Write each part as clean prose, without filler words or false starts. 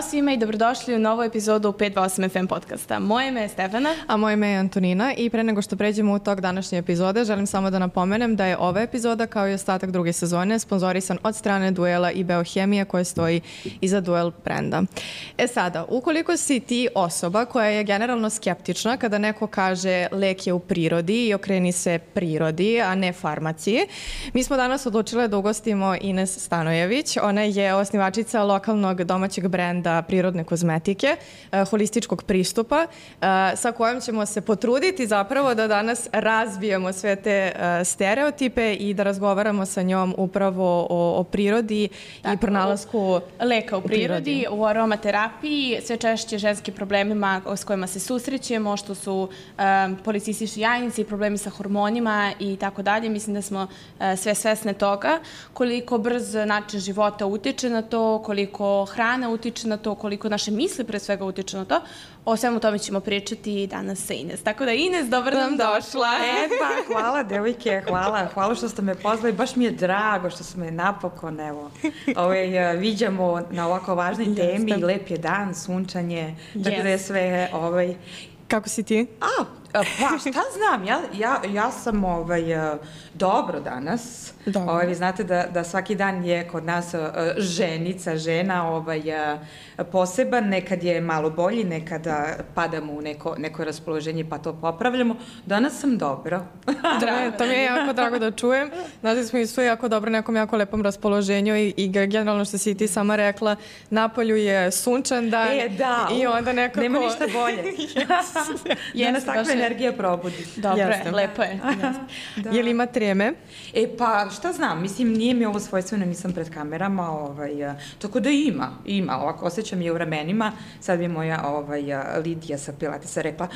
Ćao svima i dobrodošli u novu epizodu 528 FM podcasta. Moje ime je Stefana. A moje ime je Antonina i pre nego što pređemo u tok današnje epizode, želim samo da napomenem da je ova epizoda kao i ostatak druge sezone sponzorisan od strane Duela i Beohemije koja stoji iza Duel brenda. E sada, ukoliko si ti osoba koja je generalno skeptična kada neko kaže lek je u prirodi i okreni se prirodi, a ne farmaciji, mi smo danas odlučile da ugostimo Ines Stanojević. Ona je osnivačica lokalnog domaćeg brenda prirodne kozmetike, holističkog pristupa, sa kojom ćemo se potruditi zapravo da danas razbijemo sve te stereotipe i da razgovaramo sa njom upravo o prirodi i pronalasku leka u prirodi, u aromaterapiji, sve češće ženskim problemima s kojima se susrećemo, što su policistični jajnici, problemi sa hormonima i tako dalje. Mislim da smo sve svesne toga, koliko brz način života utiče na to, koliko hrana utiče na to, koliko naše misli pre svega utiče na to. O svemu tome ćemo pričati danas sa Ines. Tako da Ines, dobro nam došla. Pa, hvala devojke, hvala što ste me pozvali. Baš mi je drago što smo me napokon, viđamo na ovako važnoj temi. Lep je dan, sunčanje, tako da je sve... Kako si ti? Pa šta znam, ja sam dobro danas. Vi znate da svaki dan je kod nas žena poseban, nekad je malo bolji, nekada padamo u neko raspoloženje pa to popravljamo. Danas sam dobro. To mi je jako drago da čujem. Znate, smo isto jako dobro, nekom jako lepom raspoloženju i generalno što si ti sama rekla, napolju je sunčan dan. I onda nekako... Nema ništa bolje. Da nas takva energija probudi. Dobro je, lepo je. Je li ima treme? Pa šta znam, mislim, nije mi ovo svojstveno, nisam pred kamerama, tako da ima, ovako osjećam je u ramenima. Sad bi moja Lidija sa Pilatesa rekla,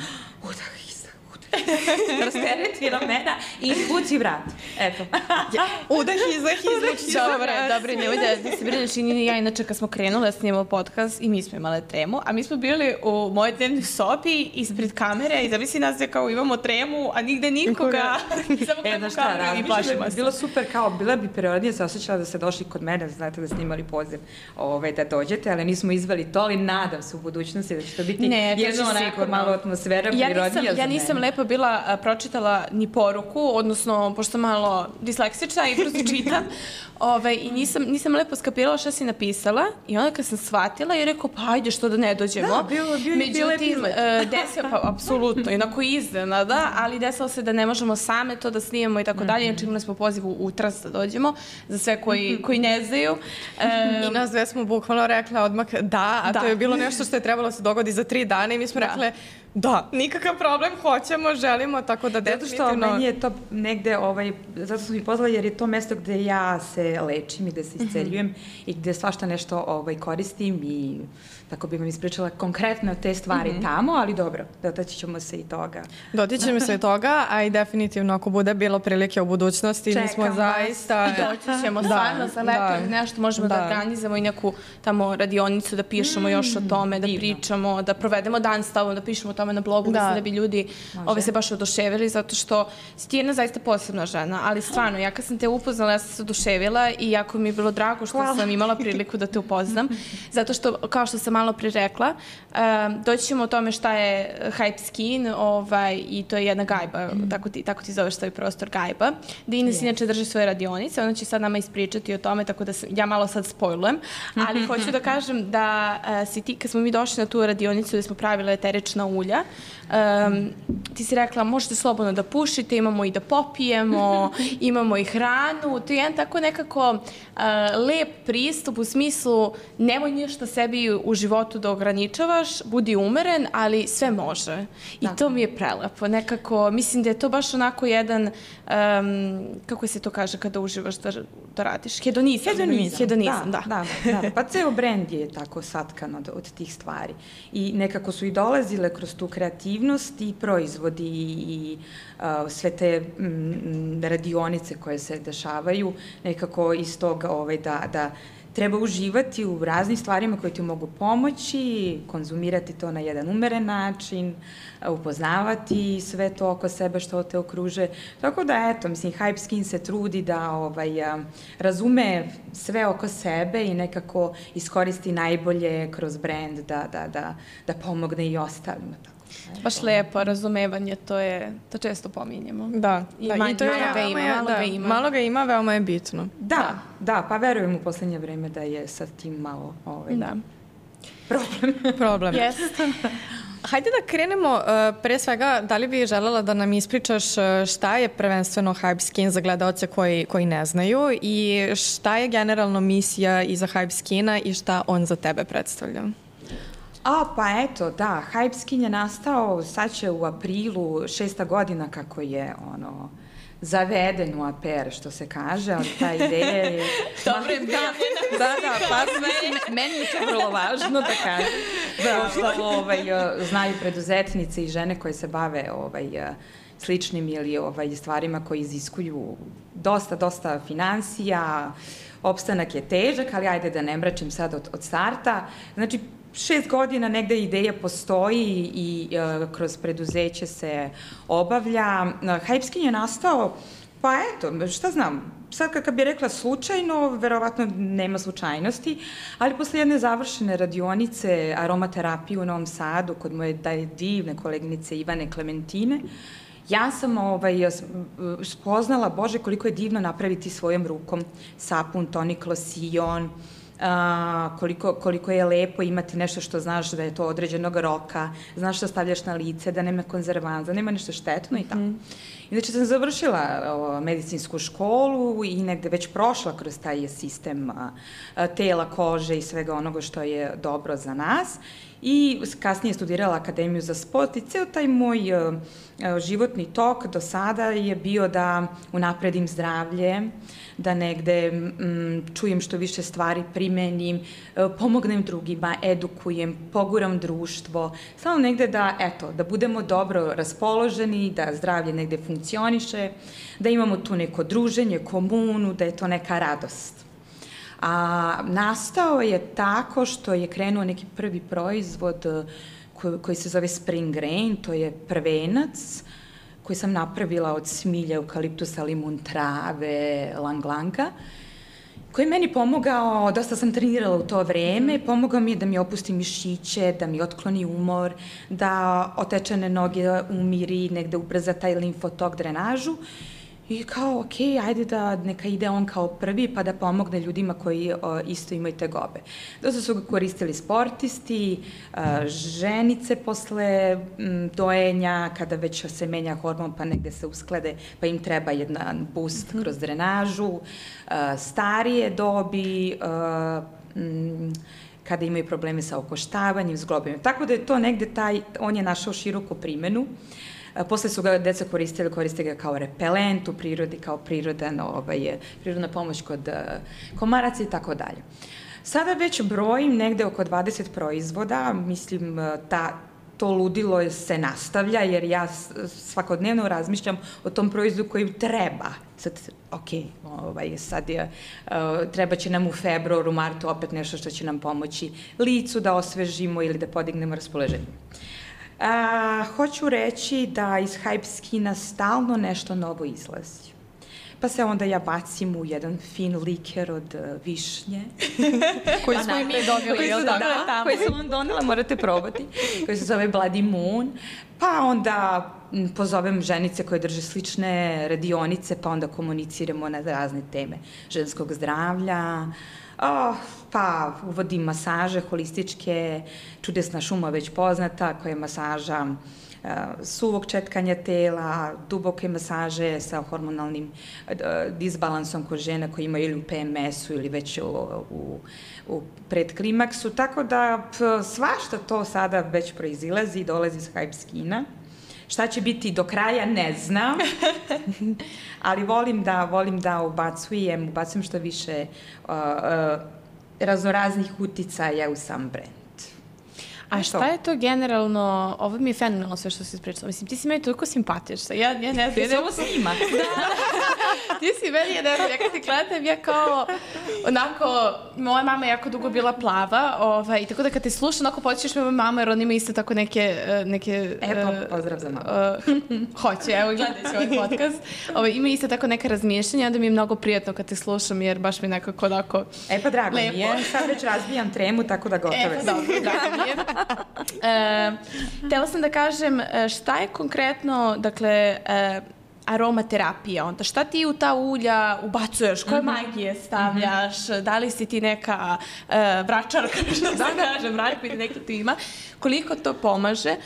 rastereti ramena i puci vrat. Eto. Udah, izdah. Dobro, nemoj da se brineš i Nini i ja, inače kad smo krenuli da snimamo podcast i mi smo imali tremu, a mi smo bili u mojoj dnevnoj sobi ispred kamere i zamisli nas da kao imamo tremu, a nigde nikoga. Samo gledamo kameru i plašimo se. Bilo super, kao bila bi prirodnije se osjećala da ste došli kod mene, znate da snimali poziv da dođete, ali nismo izveli to, ali nadam se u budućnosti da će to biti jedno onako malo atmosfera prirodnija za mene. Ja nisam lepo bila pročitala ni poruku, odnosno, pošto sam malo disleksična i brzo čitam, i nisam lepo skapirala šta si napisala i onda kad sam shvatila i rekao, pa ajde što da ne dođemo. Da, bio epizod. Pa apsolutno, inako iznenada, ali desilo se da ne možemo same to da snimamo i tako dalje, inače imali smo poziv u Tras da dođemo, za sve koji ne znaju. I nas dve smo bukvalno rekla odmah da, a to je bilo nešto što je trebalo se dogodi za 3 dana i mi smo rekle da, nikakav problem, hoćemo, želimo, tako da definitivno... Zato što meni je to negde, zato sam mi pozvala jer je to mesto gde ja se lečim i gde se isceljujem i gde svašta nešto koristim i tako bih vam ispričala konkretno te stvari tamo, ali dobro, dotaći ćemo se i toga. Dotićemo se i toga, a i definitivno ako bude bilo prilike u budućnosti, mi smo zaista... Doći ćemo stvarno za leto, nešto možemo da organizamo i neku tamo radionicu, da pišemo još o tome, da pričamo, da provedemo dan s tobom, da pišemo o tome na blogu, mislim da bi ljudi se baš oduševili, zato što si ti jedna zaista posebna žena, ali stvarno, ja kad sam te upoznala, ja sam se oduševila i jako mi je bilo drago što sam imala priliku da te upoznam, zato što, kao što sam malo pre rekla, doći ćemo o tome šta je Hype Skin i to je jedna gajba, tako ti zoveš svoj prostor gajba, gde Ines inače drži svoje radionice, ona će sad nama ispričati o tome, tako da ja malo sad spojlujem, ali hoću da kažem da si ti, kad smo mi došli na tu radionicu gde smo pravile eterična ulja, ti si rekla možete slobodno da pušite, imamo i da popijemo, imamo i hranu, to je jedan tako nekako lep pristup u smislu nemoj ništa sebi u životu da ograničavaš, budi umeren, ali sve može. I to mi je prelepo. Nekako, mislim da je to baš onako jedan, kako se to kaže kada uživaš da radiš? Hedonizam, da. Pa ceo brend je tako satkan od tih stvari. I nekako su i dolazile kroz tu kreativnost i proizvodi i sve te radionice koje se dešavaju, nekako iz toga da treba uživati u raznim stvarima koje ti mogu pomoći, konzumirati to na jedan umeren način, upoznavati sve to oko sebe što te okruže. Tako da, eto, mislim, Hype Skin se trudi da razume sve oko sebe i nekako iskoristi najbolje kroz brand da pomogne i ostalima. Baš lepo, razumevanje, to često pominjemo. Da, i to je malo ga ima, veoma je bitno. Da, pa verujem u poslednje vreme da je sa tim malo problem. Jeste. Hajde da krenemo, pre svega, da li bi želela da nam ispričaš šta je prvenstveno Hype Skin za gledaoce koji ne znaju i šta je generalno misija iza Hype Skina i šta on za tebe predstavlja? Pa eto, da, Hype Skin je nastao, sad će u aprilu 6. godina kako je, zaveden u APR, što se kaže, ali ta ideja je... Dobro je bila. Da, pa meni je to vrlo važno da kažem. Da, znaju preduzetnice i žene koje se bave sličnim ili stvarima koji iziskuju dosta finansija, opstanak je težak, ali ajde da ne mračim sad od starta. Znači, 6 godina negde ideja postoji i kroz preduzeće se obavlja. Hype Skin je nastao, pa eto, šta znam, sad kad bi rekla slučajno, verovatno nema slučajnosti, ali posle jedne završene radionice aromaterapije u Novom Sadu, kod moje divne koleginice Ivane Klementine, ja sam spoznala, Bože, koliko je divno napraviti svojom rukom sapun, tonik, losion, koliko je lepo imati nešto što znaš da je to određenog roka, znaš što stavljaš na lice, da nema konzervanza, da nema nešto štetno i tako. Inače sam završila medicinsku školu i negde već prošla kroz taj sistem tela, kože i svega onoga što je dobro za nas i kasnije studirala Akademiju za sport i ceo taj moj životni tok do sada je bio da unapredim zdravlje, da negde čujem što više stvari, primenim, pomognem drugima, edukujem, poguram društvo, samo negde da budemo dobro raspoloženi, da zdravlje negde funkcioniše, da imamo tu neko druženje, komunu, da je to neka radost. Nastao je tako što je krenuo neki prvi proizvod koji se zove Spring Rain, to je prvenac koji sam napravila od smilja, eukaliptusa, limun trave, lang-langa, koji je meni pomogao, dosta sam trenirala u to vreme, pomogao mi je da mi opusti mišiće, da mi otkloni umor, da otečene noge umiri, negde ubrza taj limfotok, drenažu. I kao, okej, ajde da neka ide on kao prvi pa da pomogne ljudima koji isto imaju tegobe. Dosta su ga koristili sportisti, ženice posle dojenja, kada već se menja hormon pa negde se usklade, pa im treba jedan boost kroz drenažu, starije dobi, kada imaju probleme sa okoštavanjem, zglobima. Tako da je to negde on je našao široku primenu. Posle su ga deca koriste ga kao repelent u prirodi, kao prirodna pomoć kod komaraca i tako dalje. Sada već brojim negde oko 20 proizvoda, mislim to ludilo se nastavlja jer ja svakodnevno razmišljam o tom proizvodu koji treba. Sad, treba će nam u februaru, martu opet nešto što će nam pomoći licu da osvežimo ili da podignemo raspoloženje. Hoću reći da iz Hype Skina stalno nešto novo izlazi. Pa se onda ja bacim u jedan fin liker od višnje. Koji smo i mi dobili, jel tako? Koji sam vam donela, morate probati. Koji se zove Bloody Moon. Pa onda pozovem ženice koje drže slične radionice, pa onda komuniciramo na razne teme ženskog zdravlja. Pa uvodim masaže holističke, čudesna šuma već poznata, koja je masaža suvog četkanja tela, duboke masaže sa hormonalnim disbalansom kod žena koji imaju ili u PMS-u ili već u predklimaksu, tako da svašta to sada već proizilazi i dolazi iz Hype Skina. Šta će biti do kraja, ne znam, ali volim da ubacujem što više raznoraznih uticaja u sam brand. A šta je to generalno, ovo mi je fenomenalno sve što si ispričala, mislim, ti si meni toliko simpatična, ja ne znam. Ti se ovo snima. Ti si meni, ja kad ti gledam, ja kao, onako, moja mama je jako dugo bila plava, i tako da kad te slušam, onako počeš me moja mama, jer on ima isto tako neke... Pozdrav za mamu. Hoće, evo, gledaj će ovaj podcast. Ima isto tako neka razmišljanja, onda mi je mnogo prijatno kad te slušam, jer baš mi nekako onako pa drago mi je, sad već razbijam tremu, tako da gotove sam. Dobro, drago mi je. Htela sam da kažem, šta je konkretno, dakle, aromaterapija, onda šta ti u ta ulja ubacuješ, koje magije stavljaš, da li si ti neka vračarka, što da kažem, vračarka ili neka tu ima, koliko to pomaže,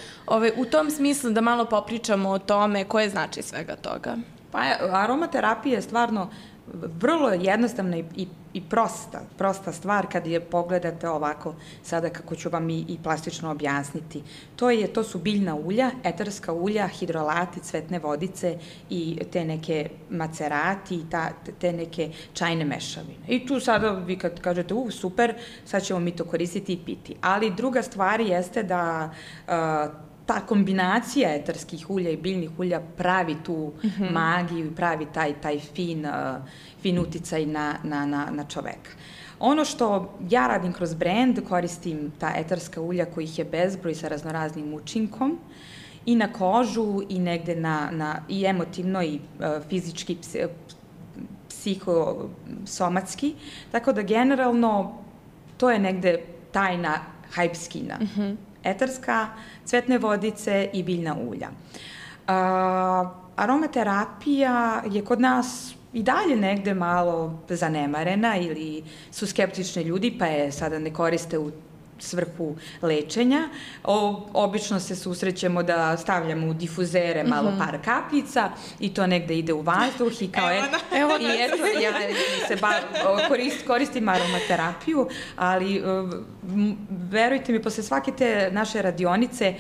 u tom smislu da malo popričamo o tome koje znači svega toga. Pa aromaterapija je stvarno vrlo jednostavna i prosta stvar kad je pogledate ovako sada kako ću vam i plastično objasniti. To su biljna ulja, eterska ulja, hidrolati, cvetne vodice i te neke macerati i te neke čajne mešavine. I tu sada vi kad kažete, super, sad ćemo mi to koristiti i piti. Ali druga stvar jeste da ta kombinacija eterskih ulja i biljnih ulja pravi tu magiju i pravi taj fin uticaj na čoveka. Ono što ja radim kroz brend, koristim ta eterska ulja kojih je bezbroj sa raznoraznim učinkom i na kožu i negde i emotivno i fizički, psihosomatski, tako da generalno to je negde tajna hype skina. Eterska, cvetne vodice i biljna ulja. Aromaterapija je kod nas i dalje negde malo zanemarena ili su skeptični ljudi pa je sada ne koriste u svrhu lečenja. Obično se susrećemo da stavljamo u difuzere malo par kapljica i to negde ide u vazduh i kao ja koristim aromaterapiju, ali verujte mi, posle svake te naše radionice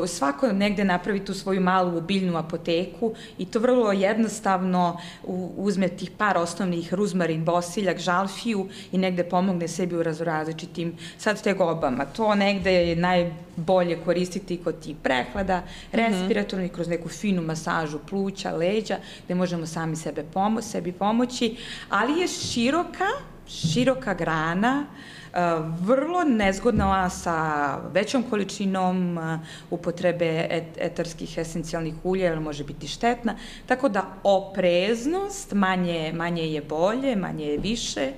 svako negde napravi tu svoju malu biljnu apoteku i to vrlo jednostavno uzme tih par osnovnih ruzmarin, bosiljak, žalfiju i negde pomogne sebi u različitim sad tegobama. To negde je najbolje koristiti kod tih prehlada, respiratornih, kroz neku finu masažu pluća, leđa, gde možemo sami sebi pomoći, ali je široka grana, vrlo nezgodna sa većom količinom upotrebe eterskih esencijalnih ulja, jer može biti štetna, tako da opreznost, manje je bolje, manje je više,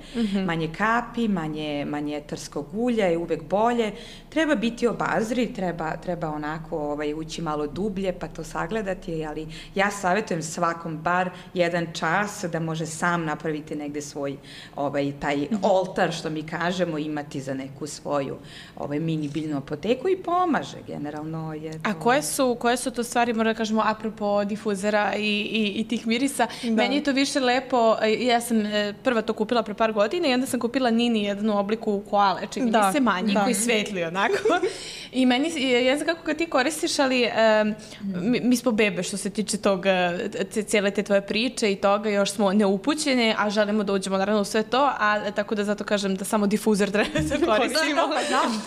manje kapi, manje eterskog ulja je uvek bolje, treba biti obazriv, treba onako ući malo dublje pa to sagledati, ali ja savjetujem svakom bar jedan čas da može sam napraviti negde svoj taj oltar, što mi kažemo, imati za neku svoju mini biljnu apoteku i pomaže, generalno je to... A koje su to stvari, moram da kažemo, apropo difuzera i tih mirisa? Meni je to više lepo, ja sam prva to kupila pre par godina i onda sam kupila Nini jednu obliku koale, čini mi se manji, koji svetli onako. I meni, ja znam kako ga ti koristiš, ali mi smo bebe što se tiče cijele te tvoje priče i toga, još smo neupućene, a želimo da uđemo naravno u sve to, a tako da zato kažem da samo difuzer treba da koristimo. Znam,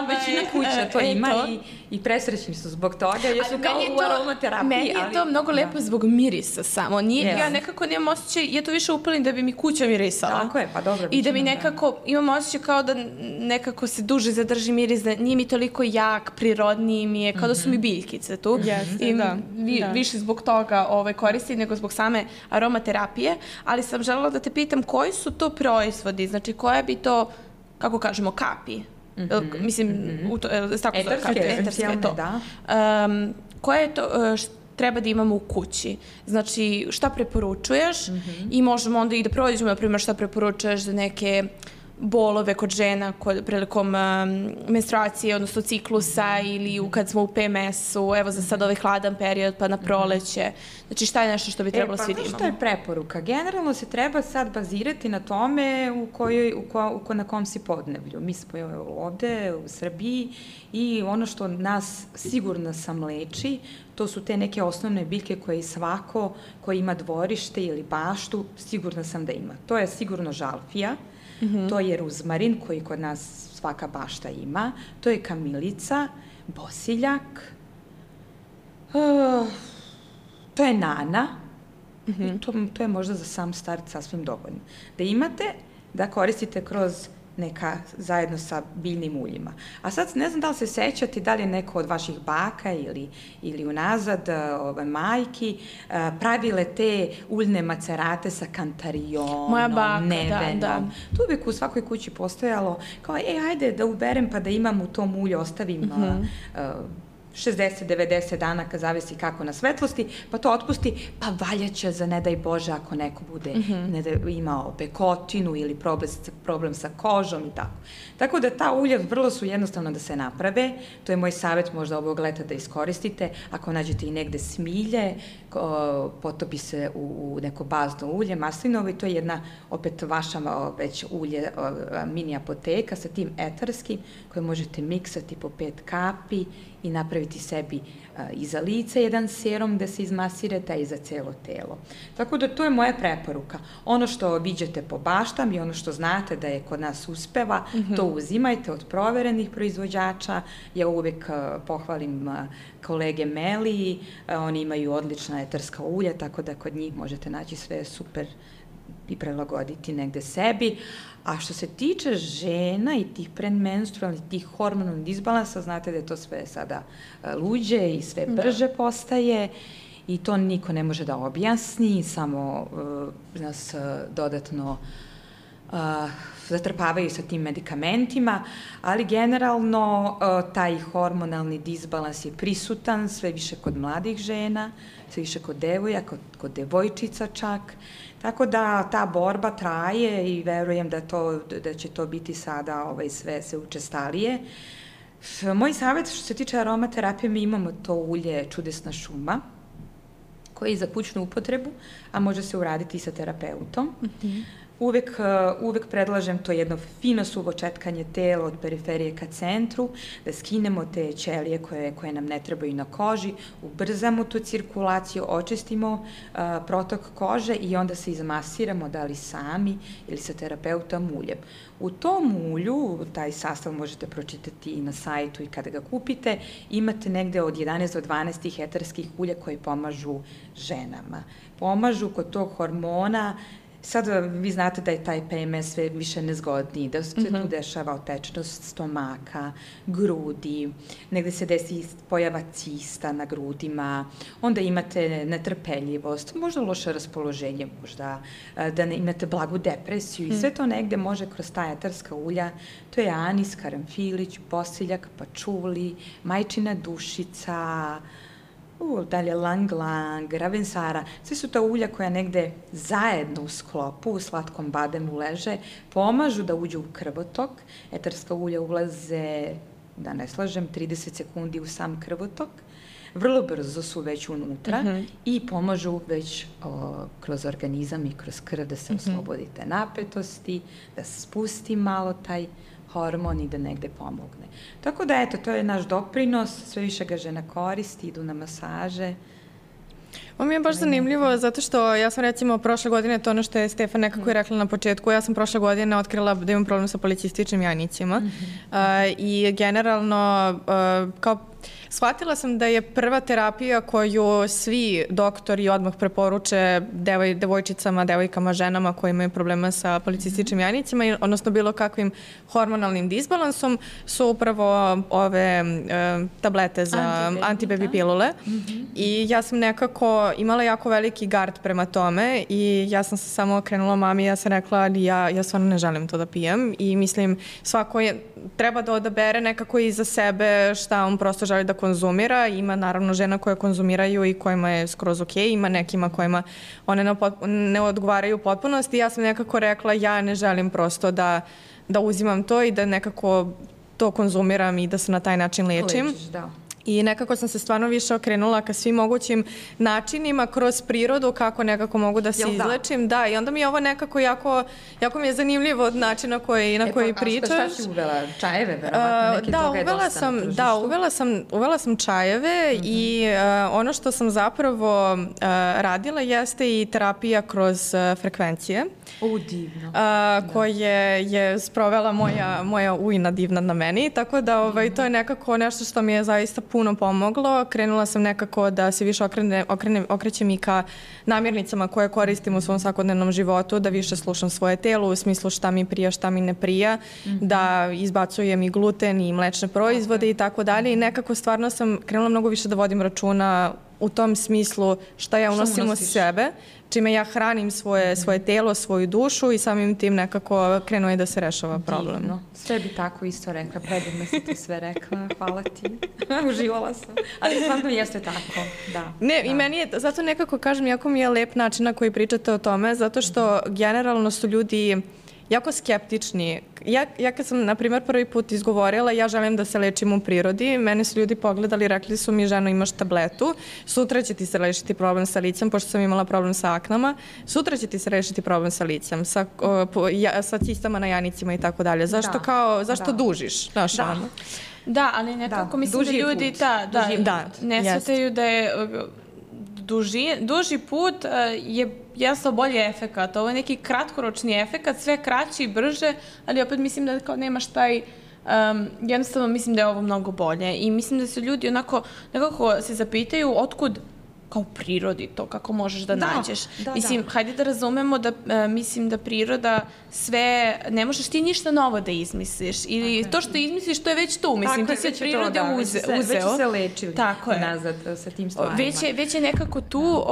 većina kuća to ima i presrećni su zbog toga, jer su kao u aromaterapiji. Meni je to mnogo lepo zbog mirisa samo. Ja nekako nemam osjećaj, ja to više upalim da bi mi kuća mirisala. Tako je, pa dobro. I da mi nekako, imam osjećaj kao da nekako se duže zadrži miris, da nije mi toliko jak, prirodniji mi je, kao da su mi biljkice tu. I više zbog toga koristim nego zbog same aromaterapije, ali sam želela da te pitam koji su to proizvodi, znači koje bi to, kako kažemo, kapi? Mislim, eterske, da. Koje je to treba da imamo u kući? Znači, šta preporučuješ i možemo onda i da prođemo, na primjer, šta preporučuješ za neke bolove kod žena prilikom menstruacije, odnosno ciklusa ili kad smo u PMS-u, evo za sad ovaj hladan period pa na proleće. Znači šta je nešto što bi trebalo svi da imamo? Pa što je preporuka? Generalno se treba sad bazirati na tome na kom si podneblju. Mi smo ovde u Srbiji i ono što nas sigurno sam leči, to su te neke osnovne biljke koje svako ko ima dvorište ili baštu, sigurna sam da ima. To je sigurno žalfija, to je ruzmarin koji kod nas svaka bašta ima, to je kamilica, bosiljak, to je nana, i to je možda za sam start sasvim dovoljno. Da imate, da koristite kroz neka zajedno sa biljnim uljima. A sad ne znam da li se sećate da li je neko od vaših baka ili unazad majki pravile te uljne macerate sa kantarionom, nevenom. Tu uvijek u svakoj kući postojalo kao, ajde da uberem pa da imam u tom ulju, ostavim 60-90 dana, kad zavisi kako na svetlosti, pa to otpusti, pa valjaće za ne daj Bože ako neko bude imao bekotinu ili problem sa kožom i tako. Tako da ta ulja vrlo su jednostavno da se naprave, to je moj savjet možda ovog leta da iskoristite, ako nađete i negde smilje, potopi se u neko bazno ulje, maslinovo, i to je jedna, opet vaša već ulje, mini apoteka sa tim etarskim, koje možete miksati po 5 kapi i napraviti sebi i za lice jedan serum da se izmasirate, a i za celo telo. Tako da to je moja preporuka. Ono što viđate po baštam i ono što znate da je kod nas uspeva, to uzimajte od proverenih proizvođača. Ja uvek pohvalim kolege Meli, oni imaju odlična etarska ulja, tako da kod njih možete naći sve super i prelagoditi negde sebi. A što se tiče žena i tih predmenstrualnih, tih hormonalnih disbalansa, znate da je to sve sada luđe i sve brže postaje i to niko ne može da objasni, samo nas dodatno zatrpavaju sa tim medikamentima, ali generalno taj hormonalni disbalans je prisutan sve više kod mladih žena, sve više kod devojaka, kod devojčica čak. Tako da ta borba traje i verujem da će to biti sada sve učestalije. Moj savjet što se tiče aromaterapije, mi imamo to ulje Čudesna šuma, koje je za kućnu upotrebu, a može se uraditi i sa terapeutom. Uvek predlažem to jedno fino suvo četkanje tela od periferije ka centru, da skinemo te ćelije koje nam ne trebaju na koži, ubrzamo tu cirkulaciju, očistimo protok kože i onda se izmasiramo, da li sami ili sa terapeutom uljem. U tom ulju, taj sastav možete pročitati i na sajtu i kada ga kupite, imate negde od 11 do 12 etarskih ulja koji pomažu ženama. Pomažu kod tog hormona. Sad vi znate da je taj PMS sve više nezgodniji, da se tu dešava otečnost stomaka, grudi, negde se desi pojava cista na grudima, onda imate netrpeljivost, možda loše raspoloženje, možda da imate blagu depresiju i sve to negde može kroz ta etarska ulja, to je anis, karanfilić, bosiljak, pačuli, majčina dušica, dalje lang-lang, ravensara, sve su ta ulja koja negde zajedno u sklopu, u slatkom bademu leže, pomažu da uđu u krvotok. Etarska ulja ulaze, da ne slažem, 30 sekundi u sam krvotok, vrlo brzo su već unutra i pomažu već kroz organizam i kroz krv da se oslobodite napetosti, da se spusti malo taj hormon i da negde pomogne. Tako da, eto, to je naš doprinos, sve više ga žena koristi, idu na masaže. Ovo mi je baš zanimljivo, zato što ja sam recimo prošle godine, to ono što je Stefan nekako i rekla na početku, ja sam prošle godine otkrila da imam problem sa policističnim jajnicima i generalno kao shvatila sam da je prva terapija koju svi doktori odmah preporuče devojčicama, devojkama, ženama koji imaju problema sa policističnim jajnicima, odnosno bilo kakvim hormonalnim disbalansom, su upravo ove tablete za antibaby pilule. I ja sam nekako imala jako veliki gard prema tome i ja sam se samo okrenula mami i ja sam rekla ja stvarno ne želim to da pijem i mislim svako treba da odabere nekako i za sebe šta on prosto želi da konzumira. Ima naravno žena koje konzumiraju i kojima je skroz ok, ima nekima kojima one ne odgovaraju u potpunosti. Ja sam nekako rekla ja ne želim prosto da uzimam to i da nekako to konzumiram i da se na taj način lečim. Lečiš, da. I nekako sam se stvarno više okrenula ka svim mogućim načinima kroz prirodu kako nekako mogu da se izlečim. Da, i onda mi je ovo nekako jako mi je zanimljivo od načina na koji pričaš. A šta si uvela? Čajeve, verovatno? Neki toga je dosta na tržištu. Da, uvela sam čajeve i ono što sam zapravo radila jeste i terapija kroz frekvencije. Divno. Koje je sprovela moja ujna divna na meni, tako da to je nekako nešto što mi je zaista puno pomoglo. Krenula sam nekako da se više okrećem i ka namirnicama koje koristim u svom svakodnevnom životu, da više slušam svoje telo u smislu šta mi prija, šta mi ne prija, da izbacujem i gluten i mlečne proizvode i tako dalje i nekako stvarno sam krenula mnogo više da vodim računa u tom smislu šta ja unosim u sebe, čime ja hranim svoje telo, svoju dušu i samim tim nekako krenuo je da se rešava problem. Divno. Sve bi tako isto rekla, predivno si ti sve rekla, hvala ti, uživala sam, ali stvarno jeste tako, da. Ne, i meni je, zato nekako kažem, jako mi je lep način na koji pričate o tome, zato što generalno su ljudi jako skeptični. Ja kad sam, na primjer, prvi put izgovorila ja želim da se lečim u prirodi, mene su ljudi pogledali i rekli su mi ženo imaš tabletu, sutra će ti se rešiti problem sa licem, pošto sam imala problem sa aknama, sutra će ti se rešiti problem sa licem, sa cistama na janicima i tako dalje. Zašto dužiš? Da, ali nekako mislim da ljudi ne shvataju da je duži put je jasno bolji efekat. Ovo je neki kratkoročni efekat, sve kraći i brže, ali opet mislim da kao nemaš taj jednostavno mislim da je ovo mnogo bolje i mislim da se ljudi nekako se zapitaju otkud kao u prirodi to, kako možeš da nađeš. Mislim, hajde da razumemo da mislim da priroda sve, ne možeš ti ništa novo da izmisliš ili to što izmisliš to je već tu, mislim, ti se od prirode uzeo. Već su se lečili nazad sa tim stvarima. Već je nekako tu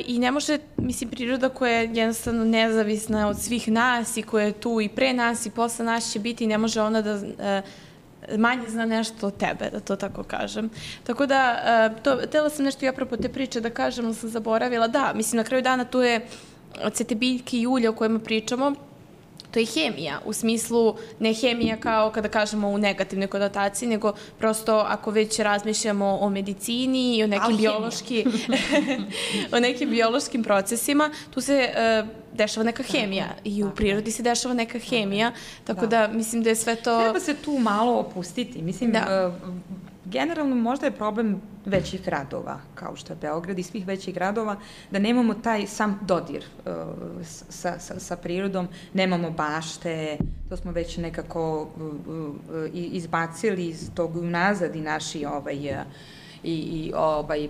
i ne može, mislim, priroda koja je jednostavno nezavisna od svih nas i koja je tu i pre nas i posle nas će biti i ne može ona da manje zna nešto od tebe, da to tako kažem. Tako da, htjela sam nešto i apropo te priče da kažem, ali sam zaboravila. Da, mislim, na kraju dana tu je sve te biljke i ulje o kojima pričamo, to je hemija, u smislu ne hemija kao kada kažemo u negativnoj konotaciji, nego prosto ako već razmišljamo o medicini i o nekim biološkim procesima, tu se dešava neka hemija i u prirodi se dešava neka hemija, tako da mislim da je sve to... Treba se tu malo opustiti, mislim... Generalno možda je problem većih gradova, kao što je Beograd i svih većih gradova, da nemamo taj sam dodir sa prirodom, nemamo bašte, to smo već nekako izbacili iz tog unazad i naši i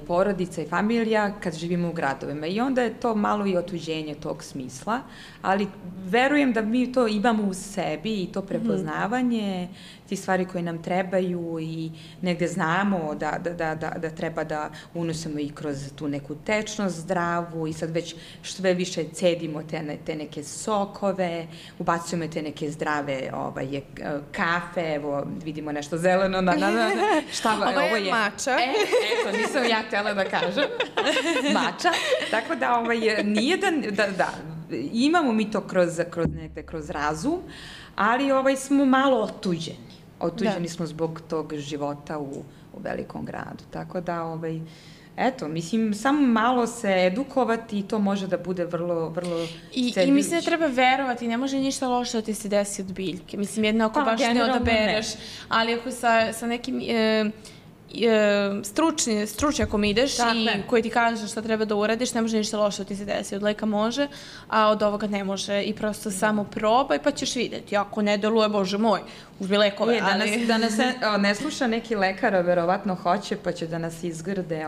porodica i familija kad živimo u gradovima. I onda je to malo i otuđenje tog smisla, ali verujem da mi to imamo u sebi i to prepoznavanje, ti stvari koje nam trebaju i negde znamo da treba da unosimo i kroz tu neku tečnost zdravu i sad već sve više cedimo te neke sokove, ubacujemo te neke zdrave kafe, evo vidimo nešto zeleno na šta ovo je mača. Eto, nisam ja htjela da kažem. Mača. Tako da nije da imamo mi to kroz razum, ali smo malo otuđeni. Otuđeni smo zbog tog života u velikom gradu. Tako da, eto, mislim, samo malo se edukovati i to može da bude vrlo, vrlo cedljivić. I mislim da treba verovati, ne može ništa loše da ti se desi od biljke. Mislim, jedno ako baš ne odabereš, ali ako sa nekim stručnjakom ideš i koji ti kaže šta treba da uradiš, ne može ništa loše da ti se desi. Od leka može, a od ovoga ne može. I prosto samo probaj pa ćeš vidjeti. Ako ne deluje, Bože moj, uzmi lekove. Da nas ne sluša neki lekar, verovatno hoće, pa će da nas izgrde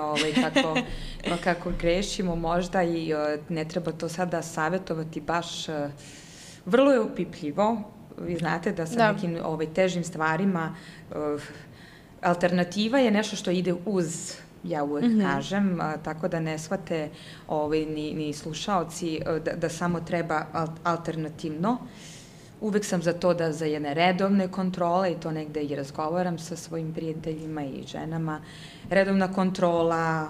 kako grešimo možda i ne treba to sada savjetovati baš. Vrlo je upipljivo. Vi znate da sa nekim težim stvarima alternativa je nešto što ide uz, ja uvek kažem, tako da ne shvate ni slušaoci da samo treba alternativno. Uvek sam za to da za jedne redovne kontrole, i to negde i razgovaram sa svojim prijateljima i ženama, redovna kontrola,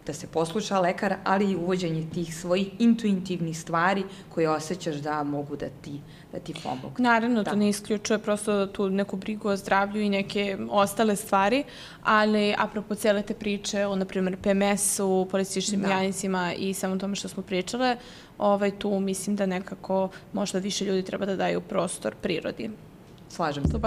da se posluša lekar, ali i uvođenje tih svojih intuitivnih stvari koje osjećaš da mogu da ti pomogu. Naravno, to ne isključuje prosto tu neku brigu o zdravlju i neke ostale stvari, ali apropo cele te priče o, na primjer, PMS-u, polističnim janicima i samo tome što smo pričale, tu mislim da nekako možda više ljudi treba da daju prostor prirodi. slažem se.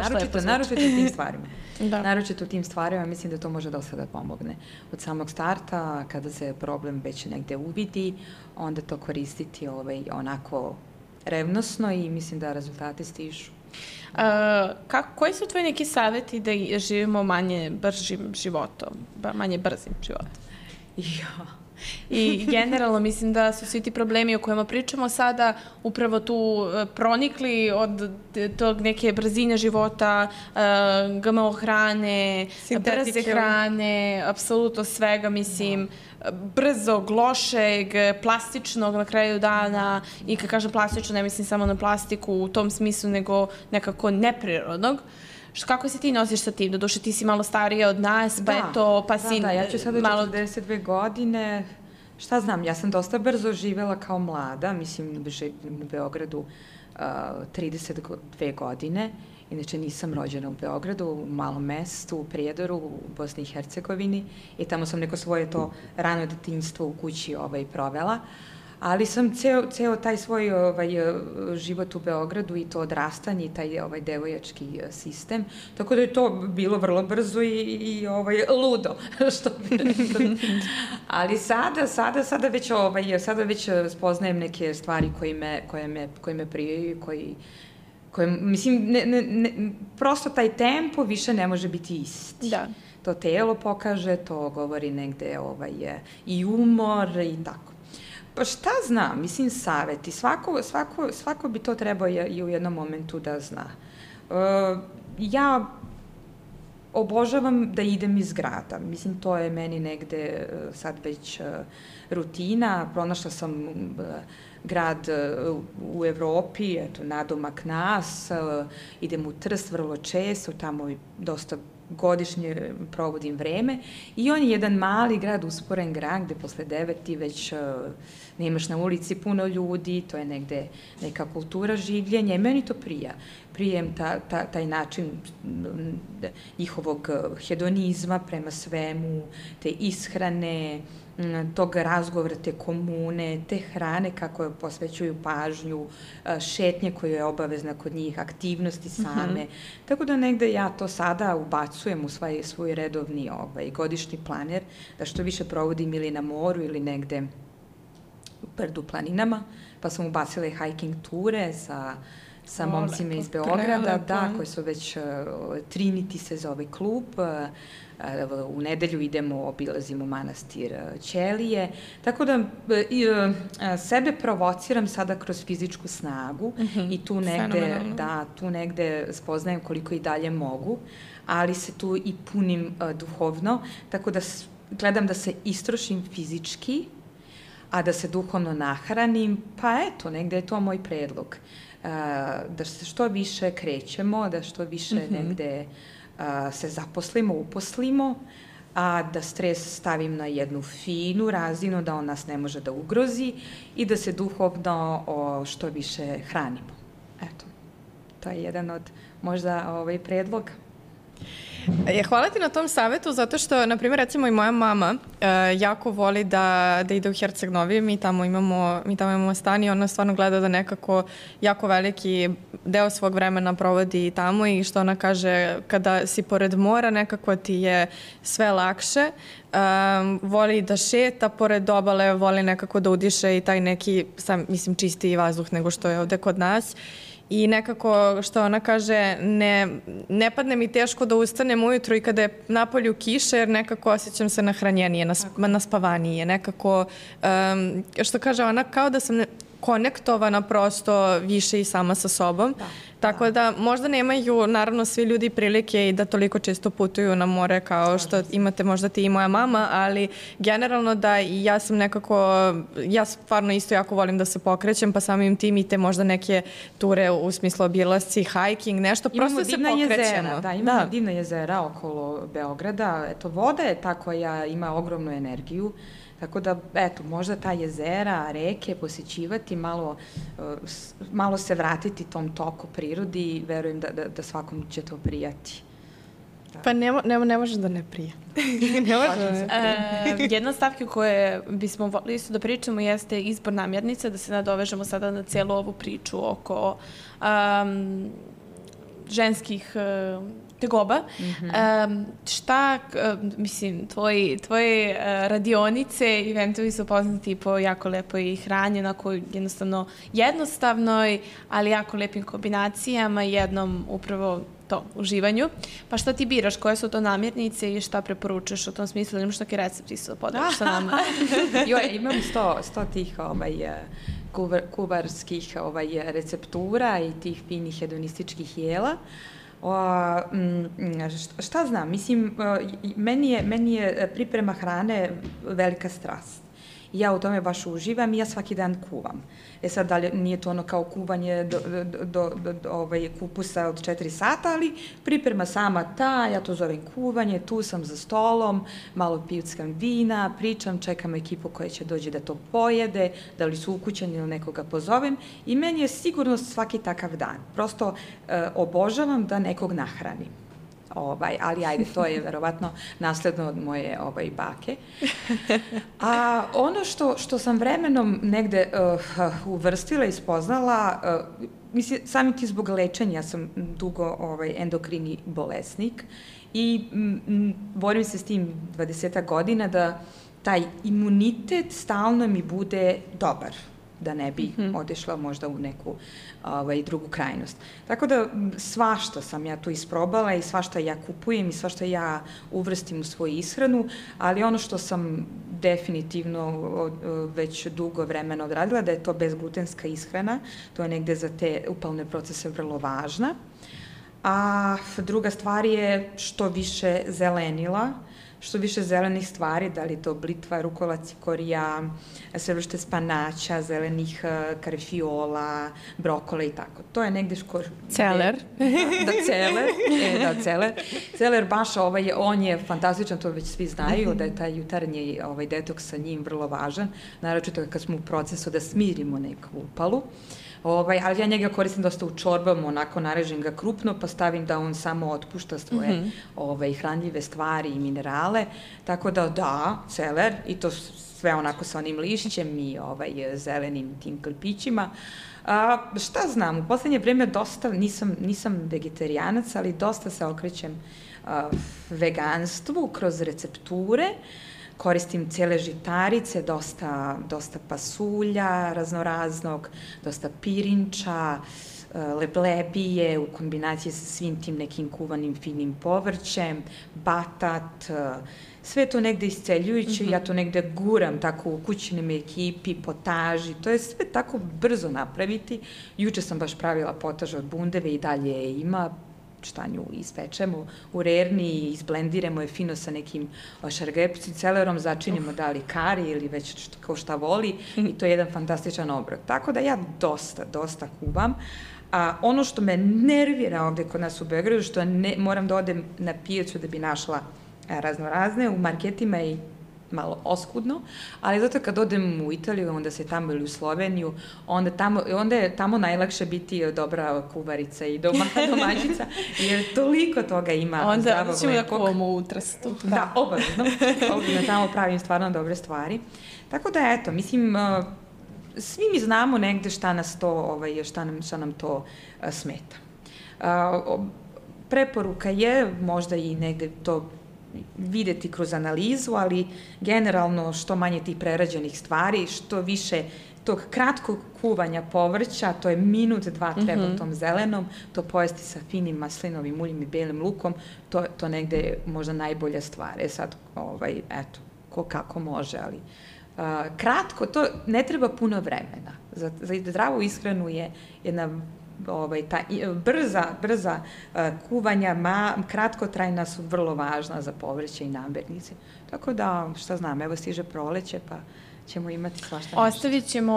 Naročito u tim stvarima. Da. Naročito u tim stvarima, mislim da to može dosta da pomogne. Od samog starta, kada se problem već negde uvidi, onda to koristiti onako revnosno i mislim da rezultati stižu. Koji su tvoji neki savjeti da živimo manje brzim životom? Ja. I generalno mislim da su svi ti problemi o kojima pričamo sada upravo tu pronikli od tog neke brzine života, GMO hrane, brze hrane, apsolutno svega, mislim, brzog, lošeg, plastičnog na kraju dana, i kad kažem plastično ne mislim samo na plastiku u tom smislu, nego nekako neprirodnog. Kako se ti nosiš sa tim? Doduše, ti si malo starija od nas, pa eto, pa si... Da, ja ću sada 42 godine. Šta znam, ja sam dosta brzo živela kao mlada, mislim, u Beogradu 32 godine. Inače, nisam rođena u Beogradu, u malom mestu, u Prijedoru, u Bosni i Hercegovini. I tamo sam neko svoje to rano detinjstvo u kući provela. Ali sam ceo taj svoj život u Beogradu i to odrastanje i taj devojački sistem, tako da je to bilo vrlo brzo i ludo, što bi rekli. Ali sada već spoznajem neke stvari koje me prijaju, mislim, prosto taj tempo više ne može biti isti. Da. To telo pokaže, to govori negde i umor i tako. Pa šta znam, mislim, saveti. Svako bi to trebao i u jednom momentu da zna. Ja obožavam da idem iz grada. Mislim, to je meni negde sad već rutina. Pronašla sam grad u Evropi, eto, nadomak nas. Idem u Trst vrlo često, tamo dosta godišnje provodim vreme i on je jedan mali grad, usporen grad, gde posle 9 ti već nemaš na ulici puno ljudi, to je negde neka kultura življenja i meni to prija. Prijem taj način njihovog hedonizma prema svemu, te ishrane, tog razgovora, te komune, te hrane kako posvećuju pažnju, šetnje koja je obavezna kod njih, aktivnosti same. Tako da negde ja to sada ubacujem u svoj redovni godišnji planer, da što više provodim ili na moru ili negde u brdu planinama, pa sam ubacila i hiking ture sa momcima iz Beograda, koji su već Trinity se zove klub. U nedelju idemo, obilazimo manastir Ćelije. Tako da sebe provociram sada kroz fizičku snagu i tu negde spoznajem koliko i dalje mogu, ali se tu i punim duhovno, tako da gledam da se istrošim fizički, a da se duhovno nahranim, pa eto, negde je to moj predlog. Da se što više krećemo, da što više negde se zaposlimo, uposlimo, a da stres stavim na jednu finu razinu, da on nas ne može da ugrozi i da se duhovno što više hranimo. Eto, to je jedan od možda predloga. Hvala ti na tom savetu, zato što, na primjer, recimo i moja mama jako voli da ide u Herceg Novi, mi tamo imamo stan i ona stvarno gleda da nekako jako veliki deo svog vremena provodi tamo i što ona kaže, kada si pored mora nekako ti je sve lakše, voli da šeta pored obale, voli nekako da udiše i taj neki, mislim, čistiji vazduh nego što je ovde kod nas. I nekako, što ona kaže, ne padne mi teško da ustanem ujutru i kada je napolju kiša, jer nekako osjećam se nahranjenije, naspavanije. Nekako, što kaže ona, kao da sam konektovana prosto više i sama sa sobom. Tako da možda nemaju, naravno, svi ljudi prilike i da toliko često putuju na more kao što imate možda ti i moja mama, ali generalno da i ja sam nekako, ja stvarno isto jako volim da se pokrećem, pa samim tim i te možda neke ture u smislu obilasci, hiking, nešto, prosto se pokrećemo. Imamo divna jezera okolo Beograda. Eto, voda je ta koja ima ogromnu energiju. Tako da, eto, možda ta jezera, reke posjećivati, malo se vratiti tom toku prirodi i verujem da svakom će to prijati. Pa ne može da ne prija. Jedna stavka koje bismo volili isto da pričamo jeste izbor namirnica, da se nadovežemo sada na cijelu ovu priču oko ženskih tegoba. Šta, mislim, tvoje radionice i eventovi su poznati po jako lepoj hrani, onako jednostavno jednostavnoj, ali jako lepim kombinacijama i jednom upravo to, uživanju. Pa šta ti biraš, koje su to namirnice i šta preporučuješ u tom smislu? Imaš neki recept isto da podeliš sa nama? Imam 100 tih kubarskih receptura i tih finih hedonističkih jela. Šta znam, mislim, meni je priprema hrane velika strast. Ja u tome baš uživam i ja svaki dan kuvam. Sad, da li nije to ono kao kuvanje do kupusa od 4 sata, ali priprema sama ta, ja to zovem kuvanje, tu sam za stolom, malo pijuckam vina, pričam, čekam ekipu koja će dođe da to pojede, da li su ukućeni ili nekoga pozovem i meni je sigurno svaki takav dan. Prosto obožavam da nekog nahranim. Ali ajde, to je verovatno nasledno od moje bake. A ono što sam vremenom negde uvrstila i spoznala, mislim, samim ti zbog lečenja sam dugo endokrini bolesnik i borim se s tim 20 godina da taj imunitet stalno mi bude dobar, da ne bi odešla možda u neku drugu krajnost. Tako da svašta sam ja tu isprobala i svašta ja kupujem i svašta ja uvrstim u svoju ishranu, ali ono što sam definitivno već dugo vremena odradila, da je to bezglutenska ishrana, to je negde za te upalne procese vrlo važna. A druga stvar je što više zelenila, što više zelenih stvari, da li to blitva, rukola, cikorija, sve vrste spanaća, zelenih karifiola, brokola i tako. To je negde celer. Celer. Celer baš, on je fantastičan, to već svi znaju, da je taj jutarnji detoks sa njim vrlo važan, naročito kad smo u procesu da smirimo neku upalu. Ali ja njega koristim dosta u čorbama, onako narežem ga krupno, pa stavim da on samo otpušta svoje hranljive stvari i minerale, tako da, celer, i to sve onako sa onim lišćem i zelenim tim klipićima. Šta znam, u poslednje vreme dosta, nisam vegetarijanac, ali dosta se okrećem veganstvu kroz recepture. Koristim cele žitarice, dosta pasulja raznoraznog, dosta pirinča, leblebije u kombinaciji sa svim tim nekim kuvanim finim povrćem, batat, sve to negde isceljujuće, ja to negde guram tako u kućnim ekipi, potaži, to je sve tako brzo napraviti. Juče sam baš pravila potaž od bundeve i dalje je ima, šta nju ispečemo u rerni i izblendiramo je fino sa nekim šargepcim, celerom, začinimo da li kari ili već ko šta voli i to je jedan fantastičan obrok. Tako da ja dosta kuvam. A ono što me nervira ovde kod nas u Beogradu, što moram da odem na pijacu da bi našla raznorazne, u marketima i malo oskudno, ali zato kad odem u Italiju, onda se tamo ili u Sloveniju, onda je tamo najlakše biti dobra kuvarica i domaćica, jer toliko toga ima zdravog mlekog. Onda ćemo da kuvamo u Trstu. Da, obavezno. Obavezno tamo pravim stvarno dobre stvari. Tako da, eto, mislim, svi mi znamo negde šta nas to, šta nam to smeta. Preporuka je možda i negde to videti kroz analizu, ali generalno što manje tih prerađenih stvari, što više tog kratkog kuvanja povrća, to je minut, 2 treba u tom zelenom, to pojesti sa finim maslinovim uljem i belim lukom, to negde je možda najbolja stvar. Sad, eto, ko kako može, ali kratko, to ne treba puno vremena. Za zdravu ishranu je jedna ta brza kuvanja, kratkotrajna su vrlo važna za povrće i namirnice. Tako da, šta znam, evo stiže proleće, pa ćemo imati svašta nešto.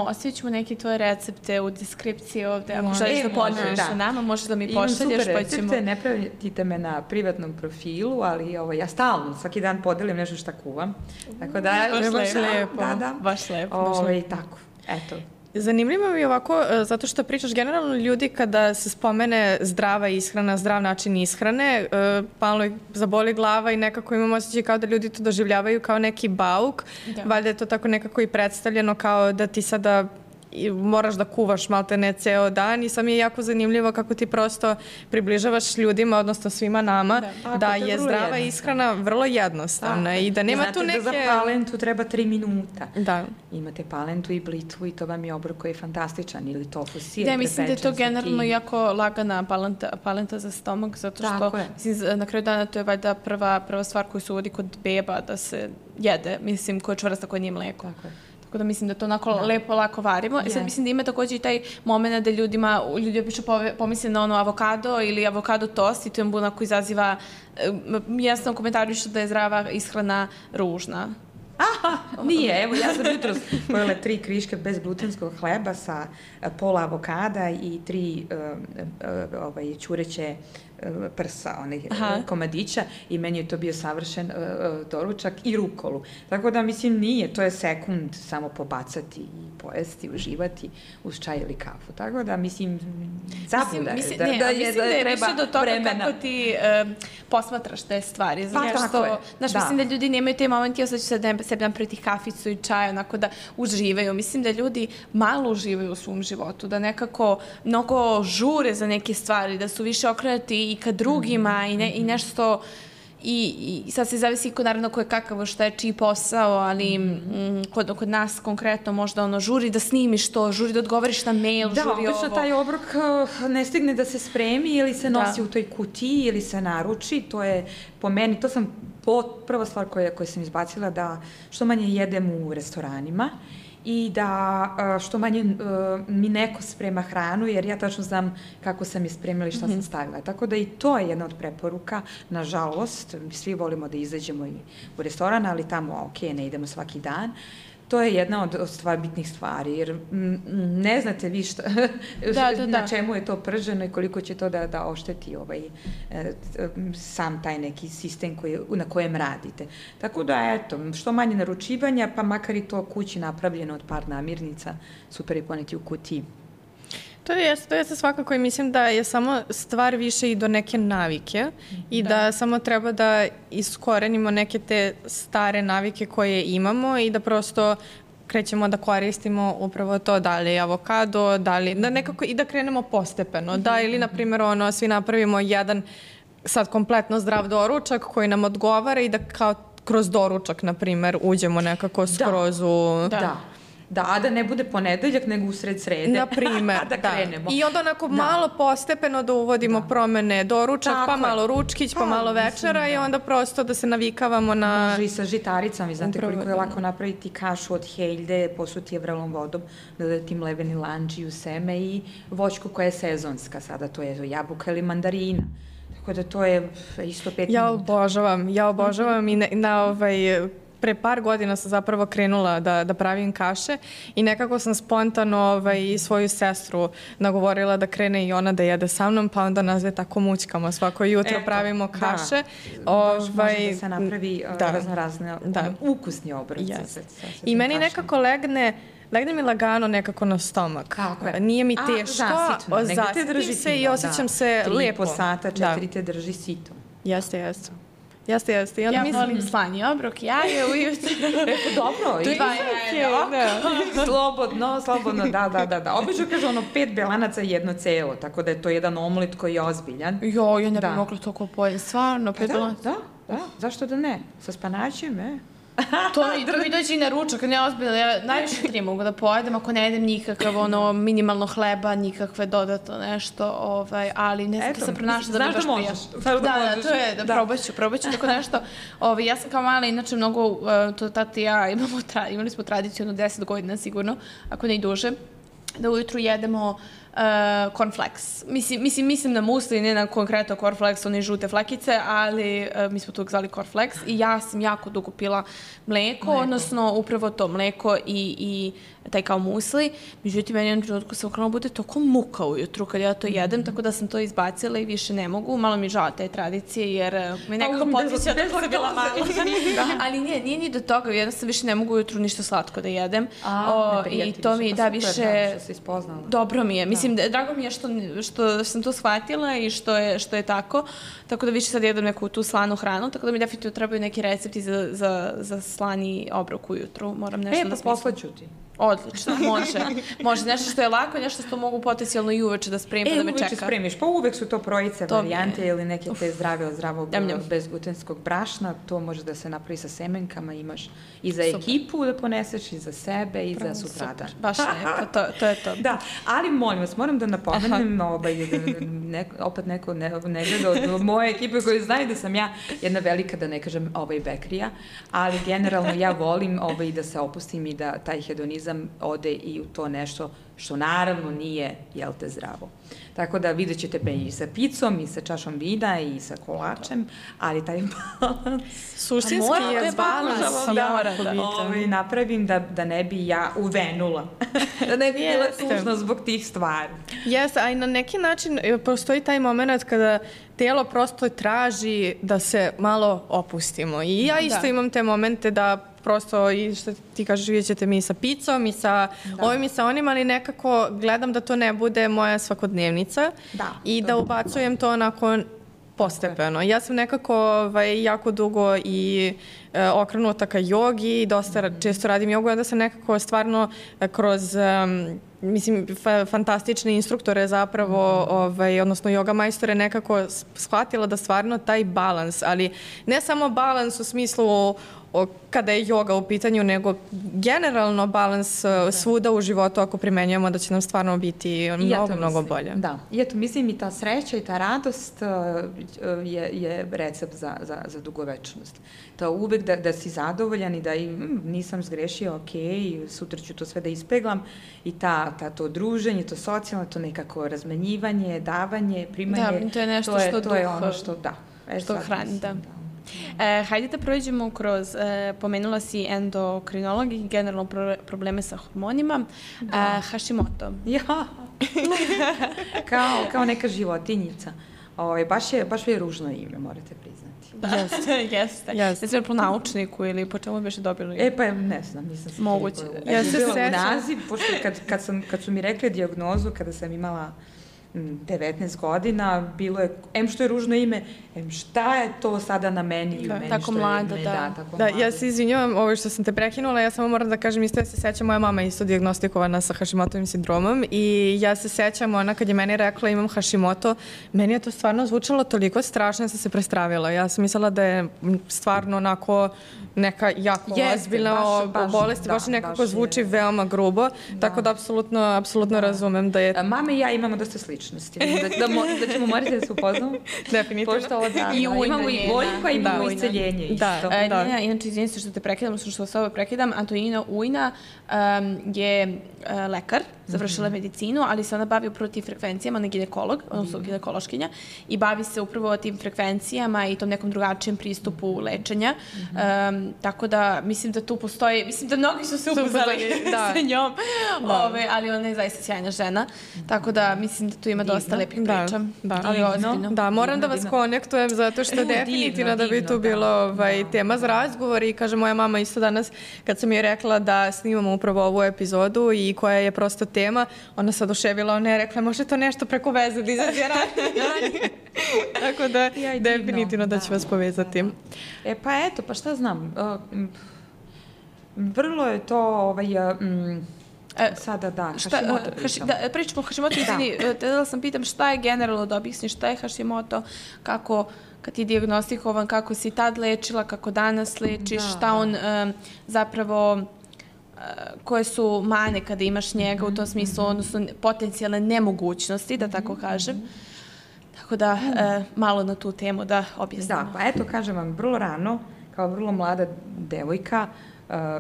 Ostavit ćemo neke tvoje recepte u deskripciji ovde. Ako želiš da podeliš sa nama, možeš da mi pošalješ. Imam super recepte, ne pratite me na privatnom profilu, ali ja stalno, svaki dan podelim nešto šta kuvam. Tako da, baš lepo. Baš lepo. Tako, eto. Zanimljivo mi je ovako, zato što pričaš generalno ljudi kada se spomene zdrava ishrana, zdrav način ishrane, malo zaboli glava i nekako imamo osjećaj kao da ljudi to doživljavaju kao neki bauk. Valjda je to tako nekako i predstavljeno kao da ti sada moraš da kuvaš malte ne ceo dan i sad mi je jako zanimljivo kako ti prosto približavaš ljudima, odnosno svima nama, da je zdrava ishrana vrlo jednostavna i da nema tu neke... Znate da za palentu treba 3 minuta. Da. Imate palentu i blitvu i to vam je obrok koji je fantastičan ili tofu sir. Da, mislim da je to generalno jako lagana palenta za stomak, zato što na kraju dana to je valjda prva stvar koju se uvodi kod beba da se jede, mislim, koja je čvrsta, koja nije mleko. Tako da mislim da to onako lepo, lako varimo. I sad mislim da ima također i taj moment da ljudi obično pomisle na ono avokado ili avokado tost i to je onako izaziva, jasno komentarišu da je zdrava ishrana ružna. Aha, nije. Evo, ja sam jutros pojela 3 kriške bezglutenskog hleba sa pola avokada i 3 ćureće prsa, komadića i meni je to bio savršen doručak i rukolu. Tako da, mislim, nije, to je sekund samo pobacati i pojesti, uživati uz čaj ili kafu. Tako da, mislim, zabluda je da je treba do toga kako ti posmatraš te stvari. Znaš, mislim da ljudi nemaju te momenti, ja sad ću sebi napraviti kaficu i čaj, onako da uživaju. Mislim da ljudi malo uživaju u svom životu, da nekako mnogo žure za neke stvari, da su više okrenuti i ka drugima i nešto i sad se zavisi naravno ko je kakav, šta je čiji posao, ali kod nas konkretno možda žuri da snimiš to, žuri da odgovoriš na mail, žuri ovo. Da, obično taj obrok ne stigne da se spremi ili se nosi u toj kutiji ili se naruči, to je po meni, to sam prva stvar koju sam izbacila, da što manje jedem u restoranima i da što manje mi neko sprema hranu, jer ja tačno znam kako sam je spremila i šta sam stavila. Tako da i to je jedna od preporuka, nažalost, svi volimo da izađemo i u restoran, ali tamo, ne idemo svaki dan. To je jedna od bitnih stvari, jer ne znate vi na čemu je to prženo i koliko će to da ošteti sam taj neki sistem na kojem radite. Tako da, eto, što manje naručivanja, pa makar i to kući napravljeno od par namirnica, super je poneti u kutiji. To jeste svakako i mislim da je samo stvar više i do neke navike i da samo treba da iskorenimo neke te stare navike koje imamo i da prosto krećemo da koristimo upravo to, da li avokado, da nekako i da krenemo postepeno, da ili na primjer svi napravimo jedan sad kompletno zdrav doručak koji nam odgovara i da kao kroz doručak na primjer uđemo nekako skroz u... Da, a da ne bude ponedeljak, nego usred srede. Na primer, da krenemo. I onda onako malo postepeno da uvodimo promene doručak, pa malo ručkić, pa malo večera i onda prosto da se navikavamo na... Može i sa žitaricama, znate koliko je lako napraviti kašu od heljde, posuti je vrelom vodom, dodati mleveni lanđiju, seme i voćku koja je sezonska sada, to je jabuka ili mandarina. Tako da to je isto 5 minuta. Ja obožavam i pre par godina sam zapravo krenula da pravim kaše i nekako sam spontano i svoju sestru nagovorila da krene i ona da jede sa mnom, pa onda nas dve tako mućkamo. Svako jutro pravimo kaše. Može da se napravi razne ukusni obroci. I meni nekako legne mi lagano nekako na stomak. Nije mi teško, zasitim se i osjećam se lijepo. 3,5 sata, 4 te drži sito. Jeste. Ja volim slani obrok, jaje ujutro. Dobro. Slobodno, da. Obično kaže 5 belanaca i 1 celo, tako da je to jedan omlet koji je ozbiljan. Ja ne bih mogla toliko pojeti, stvarno, 5 belanaca. Da, zašto da ne? Sa spanaćem, To mi dođe i na ručak, ne ozbiljno, ja najviše 3 mogu da pojedem, ako ne jedem nikakav minimalno hleba, nikakve dodatno nešto, ali ne znam da sam pronašla da mi baš prija. Da, to je, probat ću tako nešto. Ja sam kao mala, inače mnogo, to tata i ja imali smo tradiciju 10 godina sigurno, ako ne i duže, da ujutru jedemo cornflakes. Mislim na musli, ne na konkretno cornflakes, one žute flekice, ali mi smo to zvali cornflakes i ja sam jako dugo pila mleko, odnosno upravo to mleko i taj kao musli. Međutim, meni jednom trenutku sam krenula bude toliko muka ujutru kad ja to jedem, tako da sam to izbacila i više ne mogu. Malo mi žao te tradicije, jer me nekako podsjeća da sam bila malo. Ali nije ni do toga, jedno sam više ne mogu ujutru ništa slatko da jedem. I to mi da više... Dobro mi je. Mislim, drago mi je što sam to shvatila i što je tako. Tako da više sad jedem neku tu slanu hranu, tako da mi definitivno trebaju neki recepti za slani obrok ujutru. Moram nešto da smislim. Poslaću ti. Odlično, može. Nešto što je lako, nešto što mogu potencijalno i uveče da spremim pa da me čeka. Uveče spremiš, pa uvek su to trojice varijante ili neke te zdrave od zdravog bezglutenskog brašna, to može da se napravi sa semenkama, imaš i za ekipu da poneseš, i za sebe, i za sutradan. Baš lepo, to je to. Da, ali molim vas, moram da napomenem, opet neko ne gleda od moje ekipe koji znaju da sam ja jedna velika, da ne kažem, bekrija, ali generalno ja volim da se opustim i da taj hedonizam ode i u to nešto što naravno nije, jel te, zdravo. Tako da vidjet ćete me i sa picom, i sa čašom vina, i sa kolačem, ali taj balans... Suštinski je balans. Da napravim da ne bi ja uvenula. Da ne bi bila tužna zbog tih stvari. Jeste, a i na neki način postoji taj moment kada telo prosto traži da se malo opustimo. I ja isto imam te momente da prosto, i što ti kažeš, vidjet ćete mi sa picom i sa ovim i sa onim, ali nekako gledam da to ne bude moja svakodnevnica i da ubacujem to onako postepeno. Ja sam nekako jako dugo i okrenuta ka jogi, dosta često radim jogu, onda sam nekako stvarno kroz fantastične instruktore zapravo, odnosno joga majstore, nekako shvatila da stvarno taj balans, ali ne samo balans u smislu kada je joga u pitanju, nego generalno balans svuda u životu, ako primenjujemo, da će nam stvarno biti mnogo bolje. Da, i eto, mislim i ta sreća i ta radost je recept za dugovečnost. To uvek da si zadovoljan i da nisam zgrešio, ok, sutra ću to sve da ispeglam, i to druženje, to socijalno, to nekako razmenjivanje, davanje, primanje. Da, to je nešto što to je ono što hrani, da. Hajde da prođemo kroz, pomenula si endokrinolog i generalno probleme sa hormonima, Hashimoto. Ja, kao neka životinjica. Baš je ružno ime, morate priznati. Jeste. Ne znam po naučniku ili po čemu biš dobili? Pa ne znam, nisam se moguće. Ja se bila u naziv, pošto kad su mi rekli dijagnozu, kada sam imala 19 godina, bilo je, što je ružno ime, šta je to sada na meni i u meni, tako mlada, da. Ja se izvinjavam, ovo što sam te prekinula, ja samo moram da kažem, isto ja se sećam, moja mama je isto dijagnostikovana sa Hashimotovim sindromom i ja se sećam, ona kad je meni rekla imam Hashimoto, meni je to stvarno zvučalo toliko strašno, ja sam se prestravila. Ja sam mislila da je stvarno onako neka jako ozbiljna bolest, baš nekako zvuči veoma grubo, tako da apsolutno razumem da je... Mama i ja imamo dosta sličnosti, da ćemo morati da se upoznamo. Definitivno. Imamo i boljko, imamo i isceljenje isto. Inače, izvinim se što te prekidam, što s ovo prekidam, Antonina Ujna je lekar, završila medicinu, ali se ona bavi upravo tim frekvencijama, ona je ginekolog, odnosno ginekološkinja, i bavi se upravo tim frekvencijama i tom nekom drugačijem pristupu lečenja. Tako da, mislim da tu postoji, mislim da mnogi su se upoznali sa njom, ali ona je zaista sjajna žena, tako da mislim da tu ima dosta lepih priča. Ali ozbiljno. Da, moram da vas konektujem zato što definitivno da bi tu bilo tema za razgovor i kaže moja mama isto danas kad sam joj rekla da snimamo upravo ovu epizodu i koja je prosto tema, ona se oduševila, ona je rekla može to nešto preko veze da izađe ranije. Tako da definitivno da ću vas povezati. Pa eto, pa šta znam, vrlo je to sada Hashimoto pričamo o Hashimoto, izvini, da sam pitam šta je generalno da objasniš, šta je Hashimoto, kako kad je dijagnostikovan, kako si tad lečila, kako danas lečiš, šta on zapravo, koje su mane kada imaš njega u tom smislu, odnosno potencijalne nemogućnosti, da tako kažem. Tako da, malo na tu temu da objasnimo. Da, pa eto, kažem vam, vrlo rano, kao vrlo mlada devojka,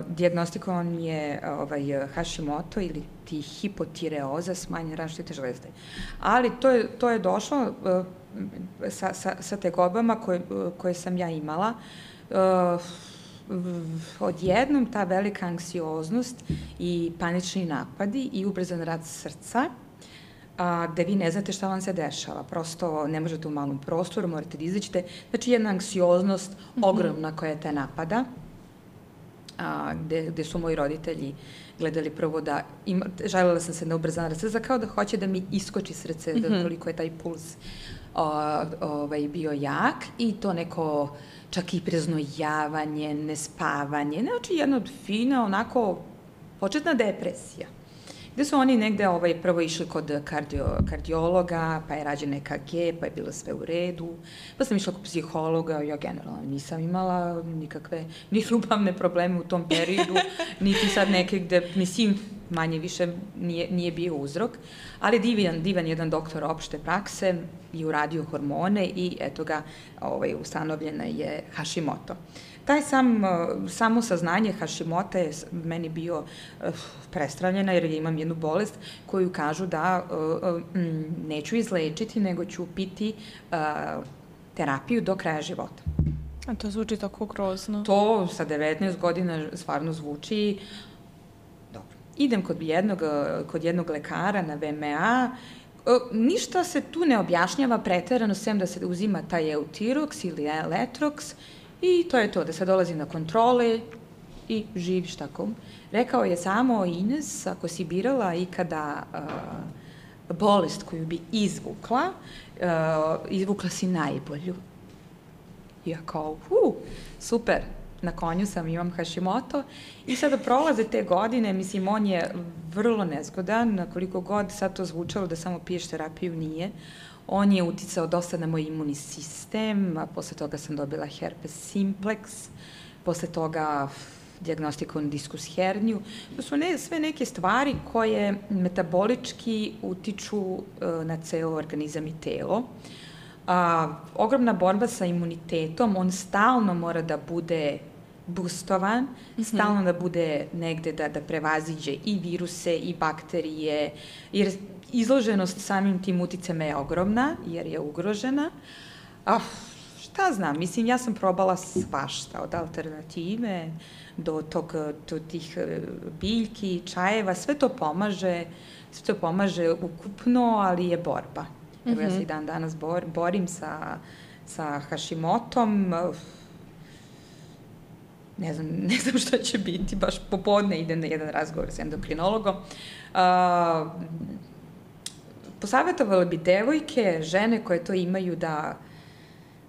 dijagnostikovan je Hashimoto ili ti hipotireoza, smanjen različite žlezde. Ali to je došlo sa tegobama koje sam ja imala. Odjednom ta velika anksioznost i panični napadi i ubrzan rad srca, gde vi ne znate šta vam se dešava. Prosto ne možete u malom prostoru, morate da izađete. Znači jedna anksioznost ogromna koja te napada, gde su moji roditelji gledali prvo da, željela sam se na ubrzan rad srca, kao da hoće da mi iskoči srce, da toliko je taj puls bio jak i to neko čak i preznojavanje, nespavanje, znači jedna od fina, onako početna depresija. Gde su oni negde prvo išli kod kardiologa, pa je rađen EKG, pa je bilo sve u redu, pa sam išla kod psihologa, ja generalno nisam imala nikakve ni ljubavne probleme u tom periodu, niti sad neke gde, mislim, manje više nije bio uzrok, ali divan jedan doktor opšte prakse i uradio hormone i eto ga, ustanovljena je Hashimoto. Taj samo saznanje Hashimota je meni bio prestravljena jer imam jednu bolest koju kažu da neću izlečiti, nego ću piti terapiju do kraja života. A to zvuči tako grozno. To sa 19 godina stvarno zvuči dobro. Idem kod jednog lekara na VMA, ništa se tu ne objašnjava preterano, sem da se uzima taj Eutirox ili Letrox, i to je to, da se dolazi na kontrole i živiš tako. Rekao je samo, Ines, ako si birala ikada bolest koju bi izvukla si najbolju. Ja kao, super, na konju sam, imam Hashimoto i sada prolaze te godine, mislim, on je vrlo nezgodan, koliko god sad to zvučalo da samo piješ terapiju, nije. On je uticao dosta na moj imunni sistem, a posle toga sam dobila herpes simplex, posle toga dijagnostikovanu diskus herniju. To su sve neke stvari koje metabolički utiču na ceo organizam i telo. Ogromna borba sa imunitetom, on stalno mora da bude boostovan, stalno da bude negde da prevaziđe i viruse i bakterije, jer izloženost samim tim uticama je ogromna, jer je ugrožena. Šta znam, mislim, ja sam probala svašta, od alternative do tih biljki, čajeva, sve to pomaže ukupno, ali je borba. Evo, ja se i dan danas borim sa Hashimotom. Ne znam šta će biti, baš popodne idem na jedan razgovor s endokrinologom. Posavjetovala bi devojke, žene koje to imaju da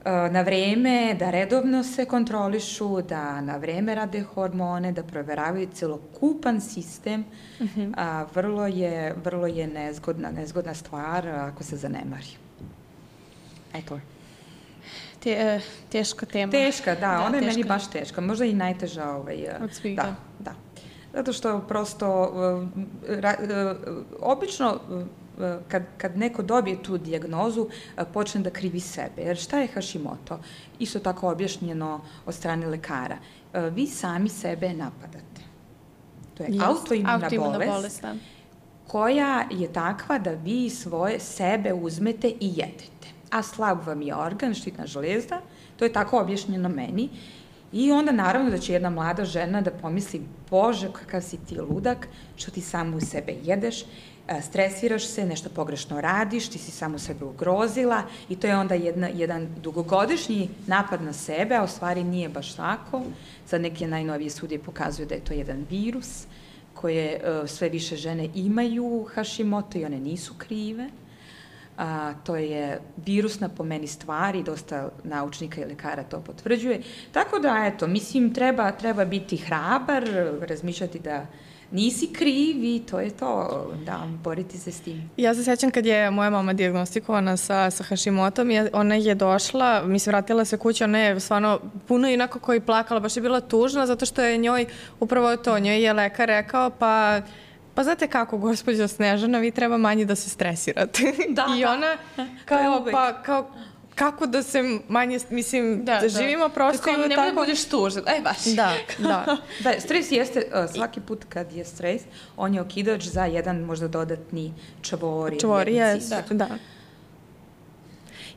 na vreme, da redovno se kontrolišu, da na vreme rade hormone, da proveravaju celokupan sistem. Vrlo je nezgodna stvar ako se zanemari. Eto. Teška tema. Teška, da, ona je meni baš teška. Možda i najteža. Od svih, da. Zato što prosto, obično, kad neko dobije tu dijagnozu, počne da krivi sebe. Jer šta je Hashimoto? Isto tako objašnjeno od strane lekara. Vi sami sebe napadate. To je autoimuna bolest koja je takva da vi svoje sebe uzmete i jedete. A slab vam je organ, štitna žlezda, to je tako objašnjeno meni. I onda naravno da će jedna mlada žena da pomisli, Bože, kakav si ti ludak, što ti samo u sebe jedeš, stresiraš se, nešto pogrešno radiš, ti si samo sebe ugrozila i to je onda jedan dugogodišnji napad na sebe, a u stvari nije baš tako. Sad neke najnovije studije pokazuju da je to jedan virus koje sve više žene imaju Hashimoto i one nisu krive. To je virusna po meni stvar i dosta naučnika i lekara to potvrđuje. Tako da, eto, mislim, treba biti hrabar, razmišljati da nisi kriv i to je to, da, boriti se s tim. Ja se sjećam kad je moja mama dijagnostikovana sa Hashimotom, ona je došla, mislim, vratila se kući, ona je stvarno puno inako koji plakala, baš je bila tužna, zato što je njoj, upravo to, njoj je lekar rekao, pa znate kako, gospođo Snežana, vi treba manje da se stresirate. I ona kao, kako da se manje, mislim, da živimo prosto i tako. Nemoj da budeš tužan, baš. Da. Stres jeste, svaki put kad je stres, on je okidač za jedan možda dodatni čvor. Da.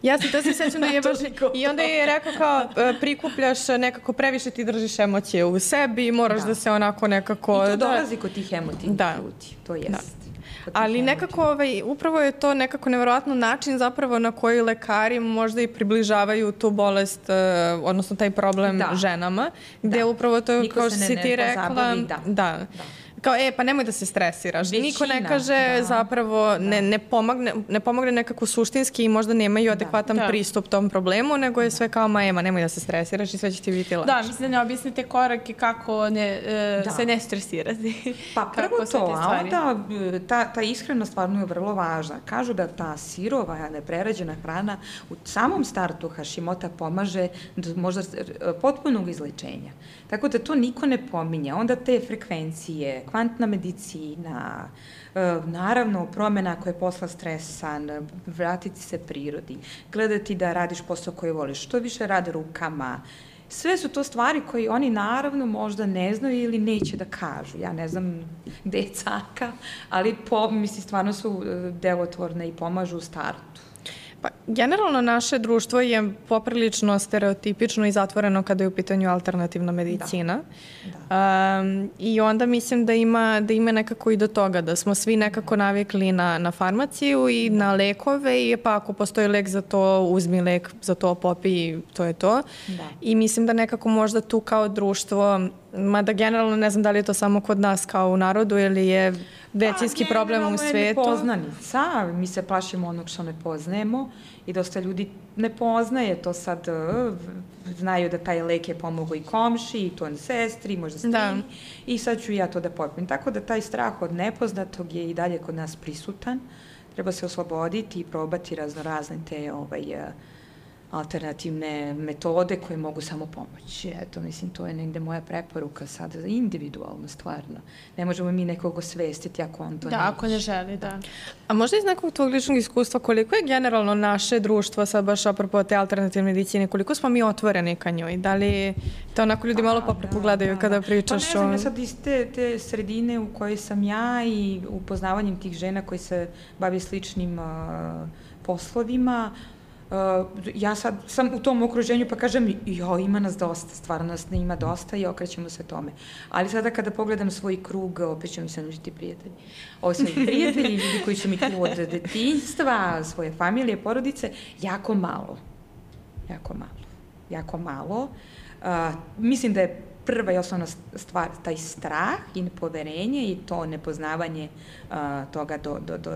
Ja to se sjećam da je baš, i onda je rekao kao prikupljaš nekako, previše ti držiš emocije u sebi i moraš da se onako nekako... I to dolazi kod tih emotivnih ljudi, to jest. Ali nekako, upravo je to nekako nevjerojatno način zapravo na koji lekari možda i približavaju tu bolest, odnosno taj problem ženama, gde upravo to, kao što si ti rekla, kao, pa nemoj da se stresiraš. Niko ne kaže zapravo, ne pomogne nekako suštinski i možda nemaju adekvatan pristup tom problemu, nego je sve kao, nemoj da se stresiraš i sve će ti biti lakše. Da, mislim da ne objasnite korake kako se ne stresirati. Pa prvo to, a onda ta iskrenost stvarno je vrlo važna. Kažu da ta sirova, neprerađena hrana u samom startu Hashimota pomaže možda potpunog izlečenja. Tako da to niko ne pominje. Onda te frekvencije, kvantna medicina, naravno promjena koja je posla stresan, vratiti se prirodi, gledati da radiš posao koji voliš, što više rade rukama. Sve su to stvari koje oni naravno možda ne znaju ili neće da kažu. Ja ne znam gde je caka, ali stvarno su delotvorne i pomažu u startu. Pa, generalno naše društvo je poprilično stereotipično i zatvoreno kada je u pitanju alternativna medicina. I onda mislim da ima nekako i do toga, da smo svi nekako navikli na farmaciju i na lekove i pa ako postoji lek za to, uzmi lek za to, popi i to je to. I mislim da nekako možda tu kao društvo, mada generalno ne znam da li je to samo kod nas kao u narodu ili je većinski problem u svetu. Generalno je nepoznanica, mi se plašimo onog što ne poznajemo i dosta ljudi ne poznaje to sad, znaju da taj lek je pomogao i komši, i to sestri, možda stini, i sad ću ja to da popijem. Tako da taj strah od nepoznatog je i dalje kod nas prisutan, treba se osloboditi i probati razne te alternativne metode koje mogu samo pomoći. Eto, mislim, to je negde moja preporuka sad, individualno, stvarno. Ne možemo mi nekog osvestiti ako on to neće. Da, ako ne želi, da. A možda iz nekog tvojeg ličnog iskustva, koliko je generalno naše društvo, sad baš apropo te alternativne medicine, koliko smo mi otvoreni ka njoj? Da li te onako ljudi malo pogledaju kada pričaš o... Pa ne znam, ja sad iz te sredine u kojoj sam ja i upoznavanjem tih žena koji se bavi sličnim poslovima, ja sad sam u tom okruženju pa kažem, ima nas dosta, stvarno nas ne ima dosta i okrećemo se tome. Ali sada kada pogledam svoj krug, opet će mi se nužiti prijatelji. Svoji prijatelji, ljudi koji su mi tu od detinjstva, svoje familije, porodice, jako malo. Jako malo. Mislim da je prva i osnovna stvar taj strah i nepoverenje i to nepoznavanje toga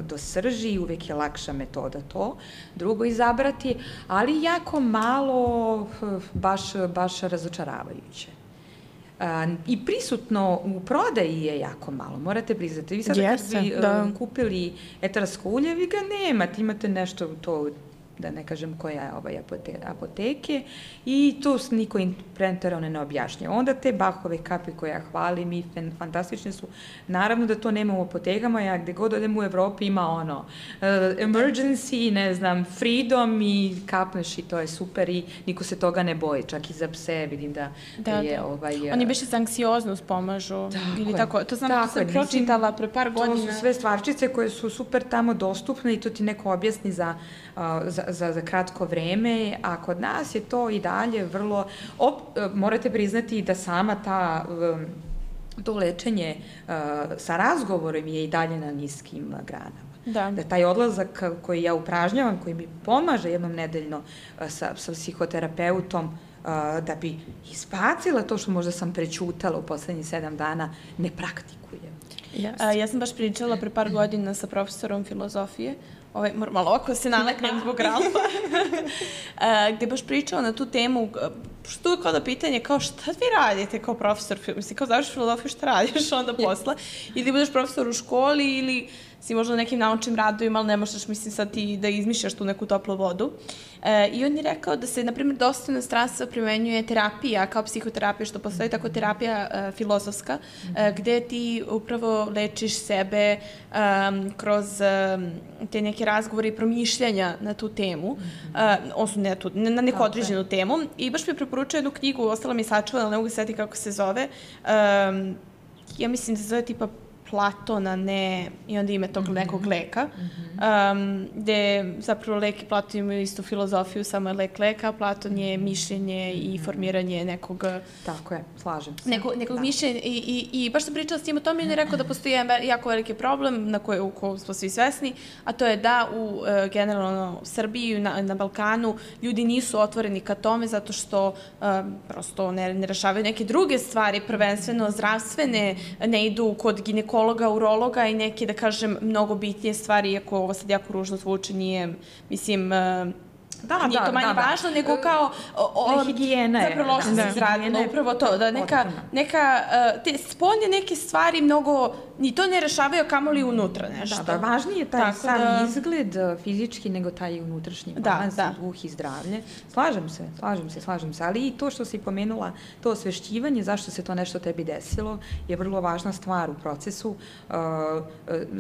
do srži, uvek je lakša metoda to. Drugo izabrati, ali jako malo, baš razočaravajuće. I prisutno u prodaji je jako malo, morate priznati. Vi sada kad bi kupili etarsko ulje, vi ga nemate, imate nešto to, da ne kažem koja je apoteke, i tu niko preterano ne objašnja. Onda te Bachove kape koje ja hvalim i fantastične su, naravno da to nema u apotekama, ja gde god odem u Evropi ima emergency, ne znam, freedom i kapneš i to je super i niko se toga ne boji, čak i za pse vidim da je Oni biše za anksioznost pomažu ili tako, to znam, to sam pročitala pre par godina. To su sve stvarčice koje su super tamo dostupne i to ti neko objasni za kratko vreme, a kod nas je to i dalje vrlo... Morate priznati da sama to lečenje sa razgovorom je i dalje na niskim granama. Da taj odlazak koji ja upražnjavam, koji mi pomaže jednom nedeljno sa psihoterapeutom, da bi izbacila to što možda sam prećutala u poslednjih 7 dana, ne praktikujem. Ja sam baš pričala pre par godina sa profesorom filozofije, malo ovako se naleknem zbog Ralfa, gde baš pričao na tu temu, što je kao da pitanje, kao šta vi radite kao profesor, mislim, kao završiš filozofiju, šta radiš onda posle, ili budeš profesor u školi, ili si možda nekim naučnim radovima, ali ne možeš, mislim, sad ti da izmišljaš tu neku toplu vodu. I on je rekao da se, na primjer, dosta inostranstva primenjuje terapija, kao psihoterapija, što postoji tako terapija filozofska, gde ti upravo lečiš sebe kroz te neke razgovore i promišljanja na tu temu, na neku određenu temu. I baš mi je preporučio jednu knjigu, ostala mi sačuvana, ali ne mogu se setiti kako se zove. Ja mislim da se zove tipa platon, a ne i onda ime tog nekog leka, gde zapravo lek i platon imaju istu filozofiju, samo je lek leka, a platon je mišljenje i formiranje nekog... Tako je, slažem se. Nekog mišljenja i baš sam pričala s njim o tome i on je rekao da postoji jedan jako veliki problem u kojem smo svi svesni, a to je da u generalno Srbiji, na Balkanu, ljudi nisu otvoreni ka tome zato što prosto ne rešavaju neke druge stvari, prvenstveno zdravstvene, ne idu kod ginekologa, urologa i neke, da kažem, mnogo bitnije stvari, iako ovo sad jako ružno zvuči, nije, mislim, nije to manje važno, nego kao... Higijena je. Zapravo loše se izradilo, upravo to, da neka, te spoljne neke stvari mnogo, ni to ne rešavaju, kamoli unutra nešto. Da, važnije je taj sam izgled fizički nego taj unutrašnji balans, duh i zdravlje. Slažem se, ali i to što si pomenula, to osvešćivanje, zašto se to nešto tebi desilo, je vrlo važna stvar u procesu.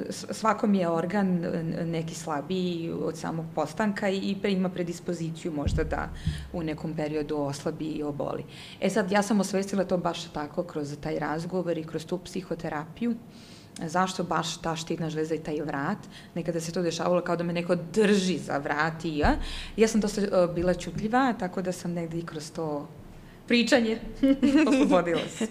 Svakom je organ neki slabiji od samog postanka i ima predispoziciju možda da u nekom periodu oslabi i oboli. Sad, ja sam osvestila to baš tako kroz taj razgovor i kroz tu psihoterapiju. Zašto baš ta štitna žleza i taj vrat? Nekada se to dešavalo kao da me neko drži za vrat i ja sam dosta bila ćutljiva, tako da sam negde i kroz to pričanje oslobodila se.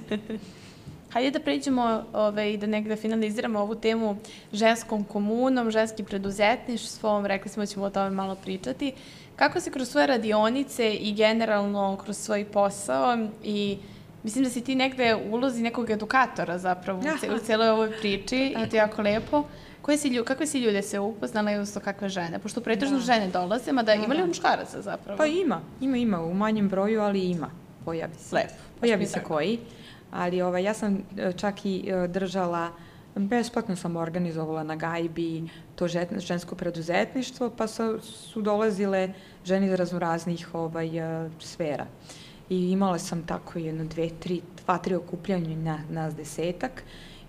Hajde da pređemo i da negde finaliziramo ovu temu ženskom komunom, ženskim preduzetništvom, rekli smo da ćemo o tome malo pričati. Kako se kroz svoje radionice i generalno kroz svoj posao i mislim da si ti negde u ulozi nekog edukatora zapravo u celoj ovoj priči i to je jako lepo. Kakve si ljude se upoznala i odnosno kakve žene? Pošto pretežno žene dolaze, mada ima li muškaraca zapravo? Pa ima, u manjem broju, ali ima, pojavi se. Lepo. Pojavi se koji, ali ja sam čak i držala, besplatno sam organizovala na gajbi to žensko preduzetništvo, pa su dolazile žene iz raznoraznih sfera. I imala sam tako jedno, 2-3 okupljanja nas 10-ak.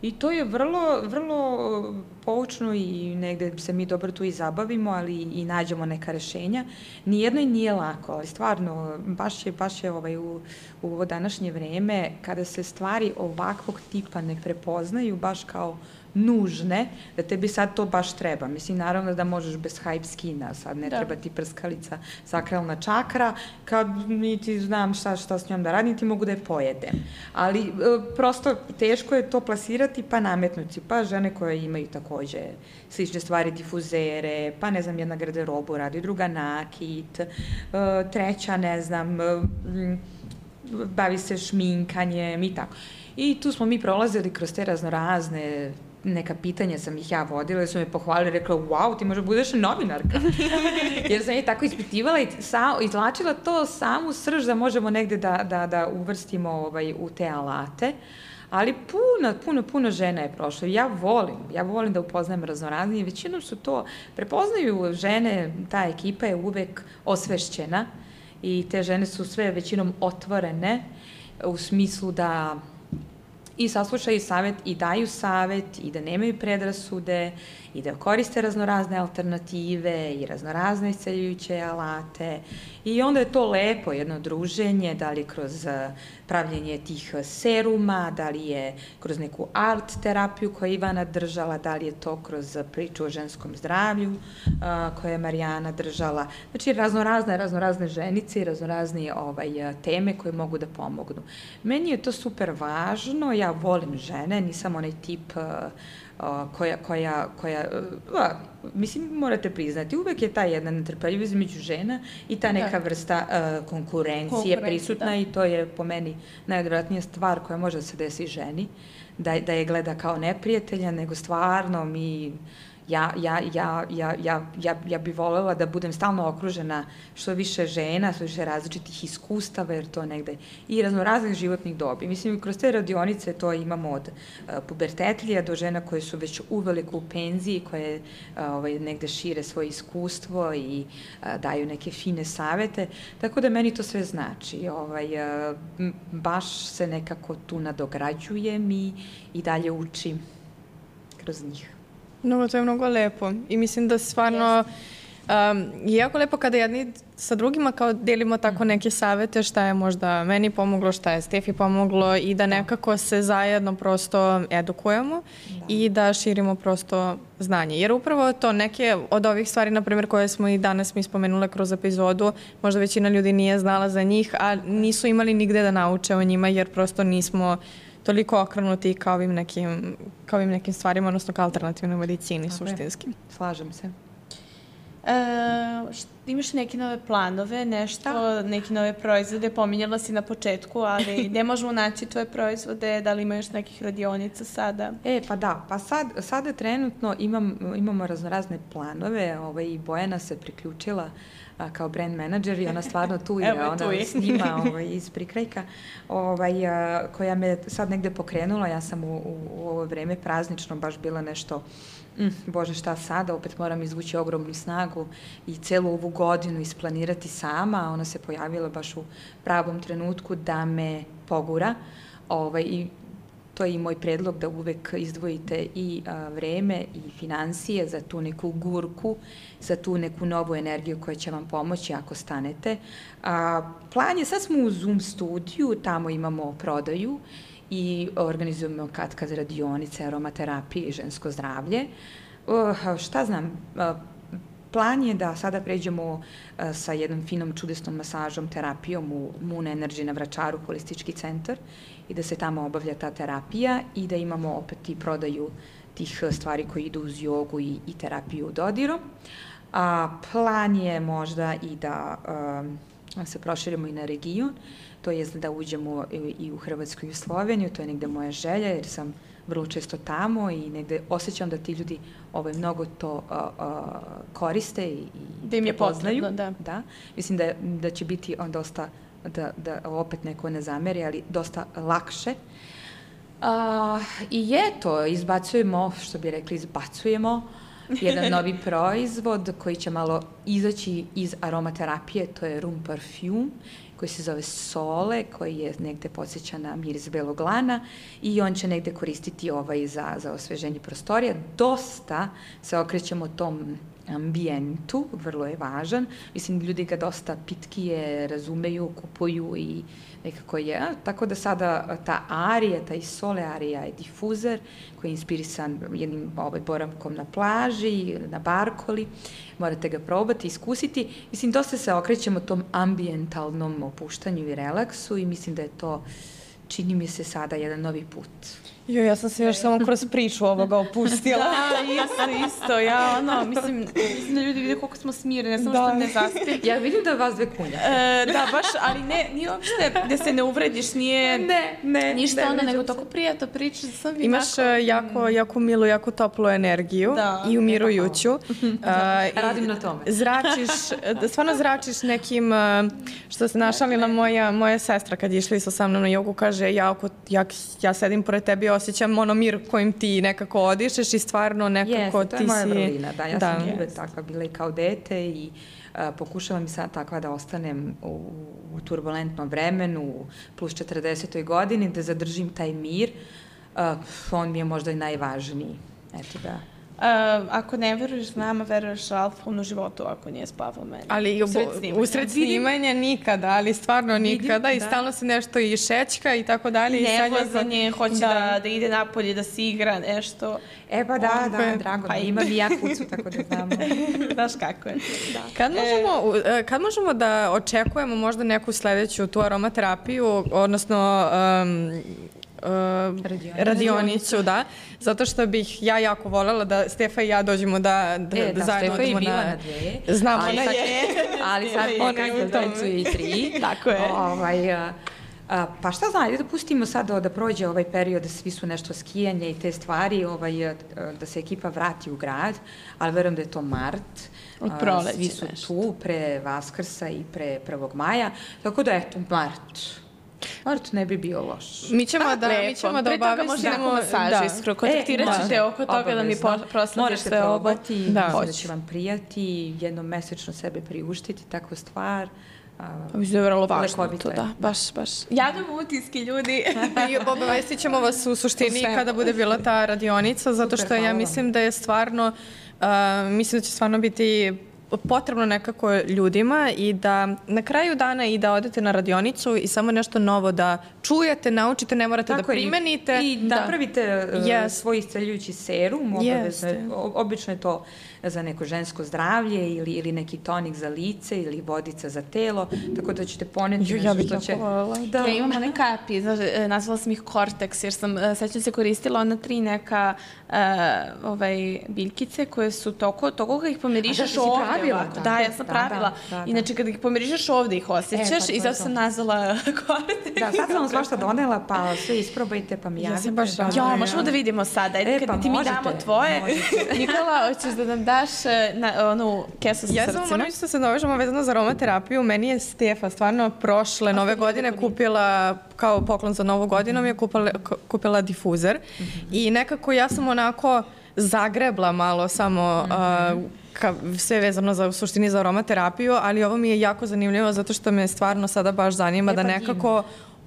I to je vrlo poučno i negde se mi dobro tu i zabavimo, ali i nađemo neka rešenja. Nijedno i nije lako, ali stvarno, baš je u ovo današnje vreme, kada se stvari ovakvog tipa ne prepoznaju baš kao nužne, da tebi sad to baš treba. Mislim, naravno da možeš bez hype skina, sad ne treba ti prskalica, sakralna čakra, kad niti znam šta s njom da radim, ti mogu da je pojedem. Ali prosto teško je to plasirati pa nametnuti, pa žene koje imaju takođe slične stvari, difuzere, pa ne znam, jedna garderobu radi, druga nakit, treća, ne znam, bavi se šminkanjem i tako. I tu smo mi prolazili kroz te raznorazne neka pitanja sam ih ja vodila, su me pohvalili, rekla, wow, ti možda budeš novinarka. Jer sam je tako ispitivala i izlačila to samu srž da možemo negde da uvrstimo u te alate. Ali puno žena je prošlo. Ja volim da upoznajem raznoraznije. Većinom su to, prepoznaju žene, ta ekipa je uvek osvešćena i te žene su sve većinom otvorene u smislu da i saslušaju savet i daju savet i da nemaju predrasude i da koriste raznorazne alternative i raznorazne isceljujuće alate. I onda je to lepo, jedno druženje, da li kroz pravljenje tih seruma, da li je kroz neku art terapiju koju je Ivana držala, da li je to kroz priču o ženskom zdravlju koje je Marijana držala. Znači, raznorazne ženice i raznorazne teme koje mogu da pomognu. Meni je to super važno, ja volim žene, nisam onaj tip mislim, morate priznati, uvek je ta jedna netrpeljivost među žena i ta neka vrsta konkurencije prisutna i to je po meni najodvratnija stvar koja može da se desi ženi, da je gleda kao neprijatelja, nego stvarno ja bih voljela da budem stalno okružena što više žena, što više različitih iskustava, jer to negde i raznoraznih životnih dobi. Mislim, kroz te radionice to imamo od pubertetlija do žena koje su već uveliko u penziji, koje negde šire svoje iskustvo i daju neke fine savete, tako da meni to sve znači. Baš se nekako tu nadograđujem i dalje učim kroz njih. To je mnogo lepo i mislim da stvarno jako lepo kada jedni sa drugima kao delimo tako neke savete šta je možda meni pomoglo, šta je Stefi pomoglo i da nekako se zajedno prosto edukujemo i da širimo prosto znanje. Jer upravo to neke od ovih stvari, na primjer, koje smo i danas mi spomenule kroz epizodu, možda većina ljudi nije znala za njih, a nisu imali nigde da nauče o njima jer prosto nismo toliko okrenuti kao ovim nekim stvarima, odnosno kao alternativnoj medicini suštinski. Slažem se. Imaš neke nove planove, nešto, neke nove proizvode, pominjala si na početku, ali gde možemo naći tvoje proizvode, da li ima još nekih radionica sada? Pa da, pa sada trenutno imamo raznorazne planove, i Bojana se priključila kao brand menadžer i ona stvarno tu je, ona snima iz prikrajka, koja me sad negde pokrenula. Ja sam u ovo vreme praznično baš bila nešto, Bože šta sada, opet moram izvući ogromnu snagu i celu ovu godinu isplanirati sama. Ona se pojavila baš u pravom trenutku da me pogura i to je i moj predlog da uvek izdvojite i vreme i finansije za tu neku gurku, za tu neku novu energiju koja će vam pomoći ako stanete. Plan je, sad smo u Zoom studiju, tamo imamo prodaju i organizujemo kad radionice, aromaterapije i žensko zdravlje. Šta znam, plan je da sada pređemo sa jednom finom, čudesnom masažom, terapijom u Moon Energy na Vračaru, holistički centar, i da se tamo obavlja ta terapija i da imamo opet i prodaju tih stvari koji idu uz jogu i terapiju dodirom. Plan je možda i da se proširimo i na region, to je da uđemo i u Hrvatsku i u Sloveniju, to je negde moja želja jer sam vrlo često tamo i negde osjećam da ti ljudi mnogo to koriste i da im je potrebno, da. Mislim da će biti dosta, da opet neko ne zameri, ali dosta lakše. I eto, izbacujemo jedan novi proizvod koji će malo izaći iz aromaterapije, to je Room Parfum, koji se zove Sole, koji je negde podsjeća na miris belog lana i on će negde koristiti za osveženje prostorija. Dosta se okrećemo tom ambijentu, vrlo je važan. Mislim, ljudi ga dosta pitkije razumeju, kupuju i nekako je. Tako da sada ta arija, taj Sole arija je difuzer koji je inspirisan jednim boravkom na plaži, na Barkoli. Morate ga probati, iskusiti. Mislim, dosta se okrećemo tom ambijentalnom opuštanju i relaksu i mislim da je to, čini mi se sada, jedan novi put. Ja sam se još samo kroz priču ovoga opustila. Da, isto. Ja, mislim da ljudi vide koliko smo smirene, samo što ne zaspim. Ja vidim da vas dve kunja. Da, baš, ali nije uopšte da se ne uvrediš, nije ništa nego toliko prijatno priča. Imaš jako milu, jako toplu energiju i umirujuću. Radim na tome. Stvarno zračiš nekim, što se našalila moja sestra kad je išla sa mnom na jogu, kaže, ja sedim pored tebi, osjećam mir kojim ti nekako odišeš i stvarno nekako ti si... to je moja vrlina, da, ja sam uvek takva bila i kao dete i pokušavam i sad takva da ostanem u turbulentnom vremenu, plus 40. godini, da zadržim taj mir, on mi je možda i najvažniji, eto da... Ako ne veruješ nama, veruješ Alfonu životu ako nije spavao mene. Ali usred snimanja nikada, ali stvarno nikada i stalno se nešto i šećka i tako dalje. Nevlazanje, hoće da ide napolje, da se igra nešto. Pa da, drago mi. Imam i ja kucu, tako da znamo. Znaš kako je. Kad možemo da očekujemo možda neku sledeću tu aromaterapiju, odnosno... radionicu, da. Zato što bih ja jako voljela da Stefa i ja dođemo da zajedno Stefa je bila na dve. Znamo, ona je. Ali sad tancuje i 3. Tako je. Pa šta znam, da pustimo sad da prođe ovaj period, da svi su nešto skijanja i te stvari, da se ekipa vrati u grad, ali verujem da je to mart. Od proleća. Svi su tu pre Vaskrsa i pre 1. maja, tako da eto, mart ne bi bio loš. Mi ćemo da obavestimo masažu iskru. Kontaktirat ćete oko toga da mi proslediš sve ovo. Da će vam prijati, jednom mesečno sebe priuštiti, takvu stvar. Mislim da je vrlo važno to, da. Baš. Javljamo utiske, ljudi. I obavestit ćemo vas u suštini kada bude bila ta radionica, zato što ja mislim da je stvarno, mislim da će stvarno biti potrebno nekako ljudima i da na kraju dana i da odete na radionicu i samo nešto novo da čujete, naučite, ne morate da primenite. I napravite svoj isceljujući serum, obično je to za neko žensko zdravlje ili neki tonik za lice ili vodica za telo, tako da ćete poneti nešto što će... Ja imam one kapi, nazvala sam ih Cortex, jer sam, sećam se, koristila ona 3 neka biljkice koje su toliko ih pomirišaš ovde. Da, ja sam pravila. Inače, kada ih pomirišaš ovde, ih osjećaš i zato sam nazvala Cortex. Da, sad sam vam svašta donela, pa sve isprobajte, pa mi javite. Ja, možemo da vidimo sada. Kada ti mi damo tvoje. Nikola, hoćeš da nam daš onu kesu sa srcima? Ja samo moram isto se navežemo vezano za aromaterapiju. Meni je Stefa stvarno prošle nove godine kupila, kao poklon za novu godinu, mi je kupila difuzer i nekako ja sam onako zagrebla malo samo sve vezano u suštini za aromaterapiju, ali ovo mi je jako zanimljivo zato što me stvarno sada baš zanima da nekako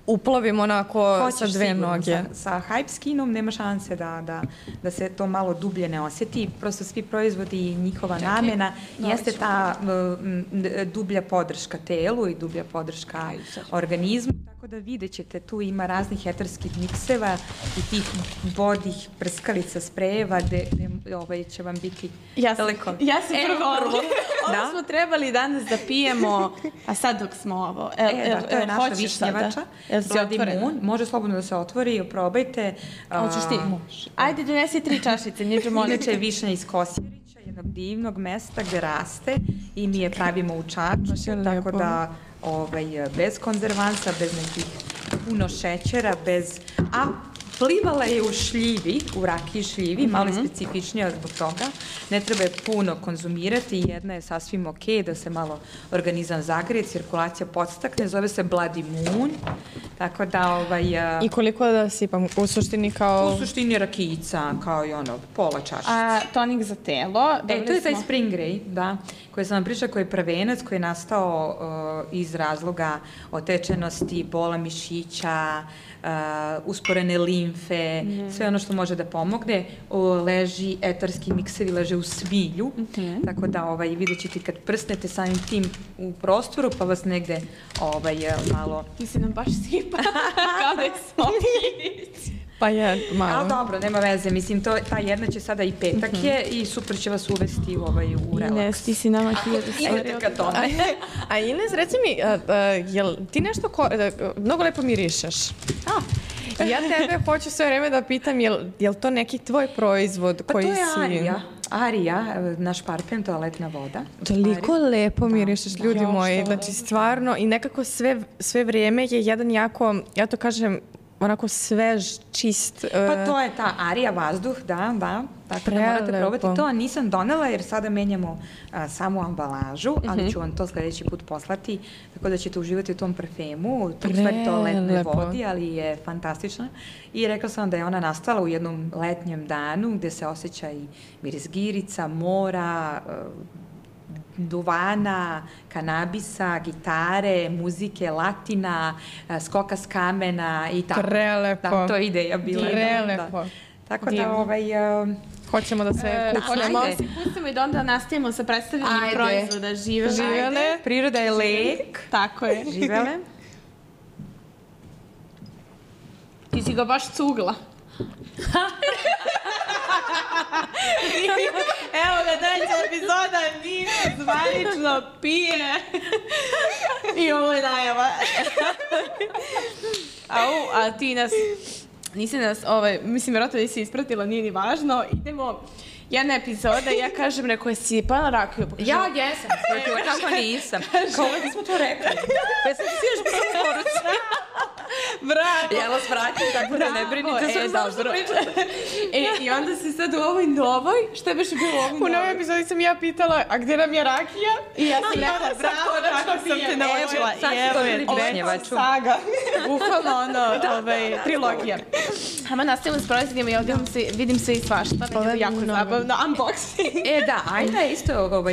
uplovim onako sa 2 noge. Sa Hype Skinom nema šanse da se to malo dublje ne osjeti. Prosto svi proizvodi i njihova namena jeste ta dublja podrška telu i dublja podrška organizmu. Tako da vidjet ćete, tu ima raznih eterskih mikseva i tih vodih prskalica, sprejeva gde će vam biti daleko. Ja sam prvo. Ovo smo trebali danas da pijemo, a sad dok smo ovo. To je naša višnjevača. Bloody Moon. Može slobodno da se otvori, probajte. Hoćeš ti? Ajde, donesi 3 čašice. Inače je višnja iz Kosjerića, jednog divnog mesta gde raste i mi je pravimo u Čačku, tako da bez konzervansa, bez nekih puno šećera, a plivala je u šljivi, u rakiji šljivi, malo je specifičnija zbog toga. Ne treba je puno konzumirati, jedna je sasvim ok, da se malo organizam zagreje, cirkulacija podstakne, zove se Bloody Moon, tako da... I koliko da sipam? U suštini kao... U suštini rakijica, kao i pola čašice. A tonik za telo? To je taj Spring Ray, da, koji sam vam pričala, koji je prvenac, koji je nastao iz razloga otečenosti, bola mišića, usporene limfe, sve ono što može da pomogne. Etarski miksevi leže u smilju, tako da vidjet ćete kad prsnete samim tim u prostoru, pa vas negde malo... Ti si nam baš sipa, kao da je sokić. Pa je, malo. Ali dobro, nema veze, mislim, ta jedna će sada i petak je i super će vas uvesti u relaks. Ines, ti si nama 1000 Idete ka tome. A Ines, reci mi, jel ti nešto, mnogo lepo mirišeš? Ja tebe hoću sve vreme da pitam, jel to neki tvoj proizvod koji si... Pa to je Arija, naš parfem, toaletna voda. Toliko lepo mirišeš, ljudi moji, znači stvarno, i nekako sve vrijeme je jedan jako, ja to kažem, onako svež, čist. Pa to je ta Arija vazduh, da. Tako da morate probati to. Nisam donela jer sada menjamo samu ambalažu, ali ću vam to sljedeći put poslati, tako da ćete uživati u tom parfemu, u stvari toaletnoj vodi, ali je fantastična. I rekla sam da je ona nastala u jednom letnjem danu gde se osjeća i miris girica, mora, duvana, kanabisa, gitare, muzike, latina, skoka s kamena i tako. Prelepo. Da, to je ideja bila. Prelepo. Tako da, hoćemo da se kućnemo. Ajde, se pustimo i da onda nastavimo sa predstavljanjem proizvoda. Živele. Priroda je lek. Tako je. Živele. Ti si ga baš cugla. Evo ga, treća epizoda, Nina zvanično pije. I ovo je najava. A ti nisi nas, mislim, vjerojatno da si ispratila, nije ni važno. Idemo, jedna epizoda i ja kažem, rekao je sipala rakiju. Ja jesam, kako nisam. Kao da smo to rekli. Pa sam si još prvo poruci. Bravo. Ja vas vratim, tako da ne brinite sve zašto pričate. I onda si sad u ovoj novoj, šta je baš bilo u ovoj novoj? U novoj epizodi sam ja pitala, a gde nam je rakija? I ja sam rekla, bravo, tako sam te naučila. Ovo je saga. Bukvalno ono, trilogija. Hajmo nastavimo s proizvodima i ovdje vidim sve i svašta. Ovo je jako zabavno. Unboxing. Da, Ajna je isto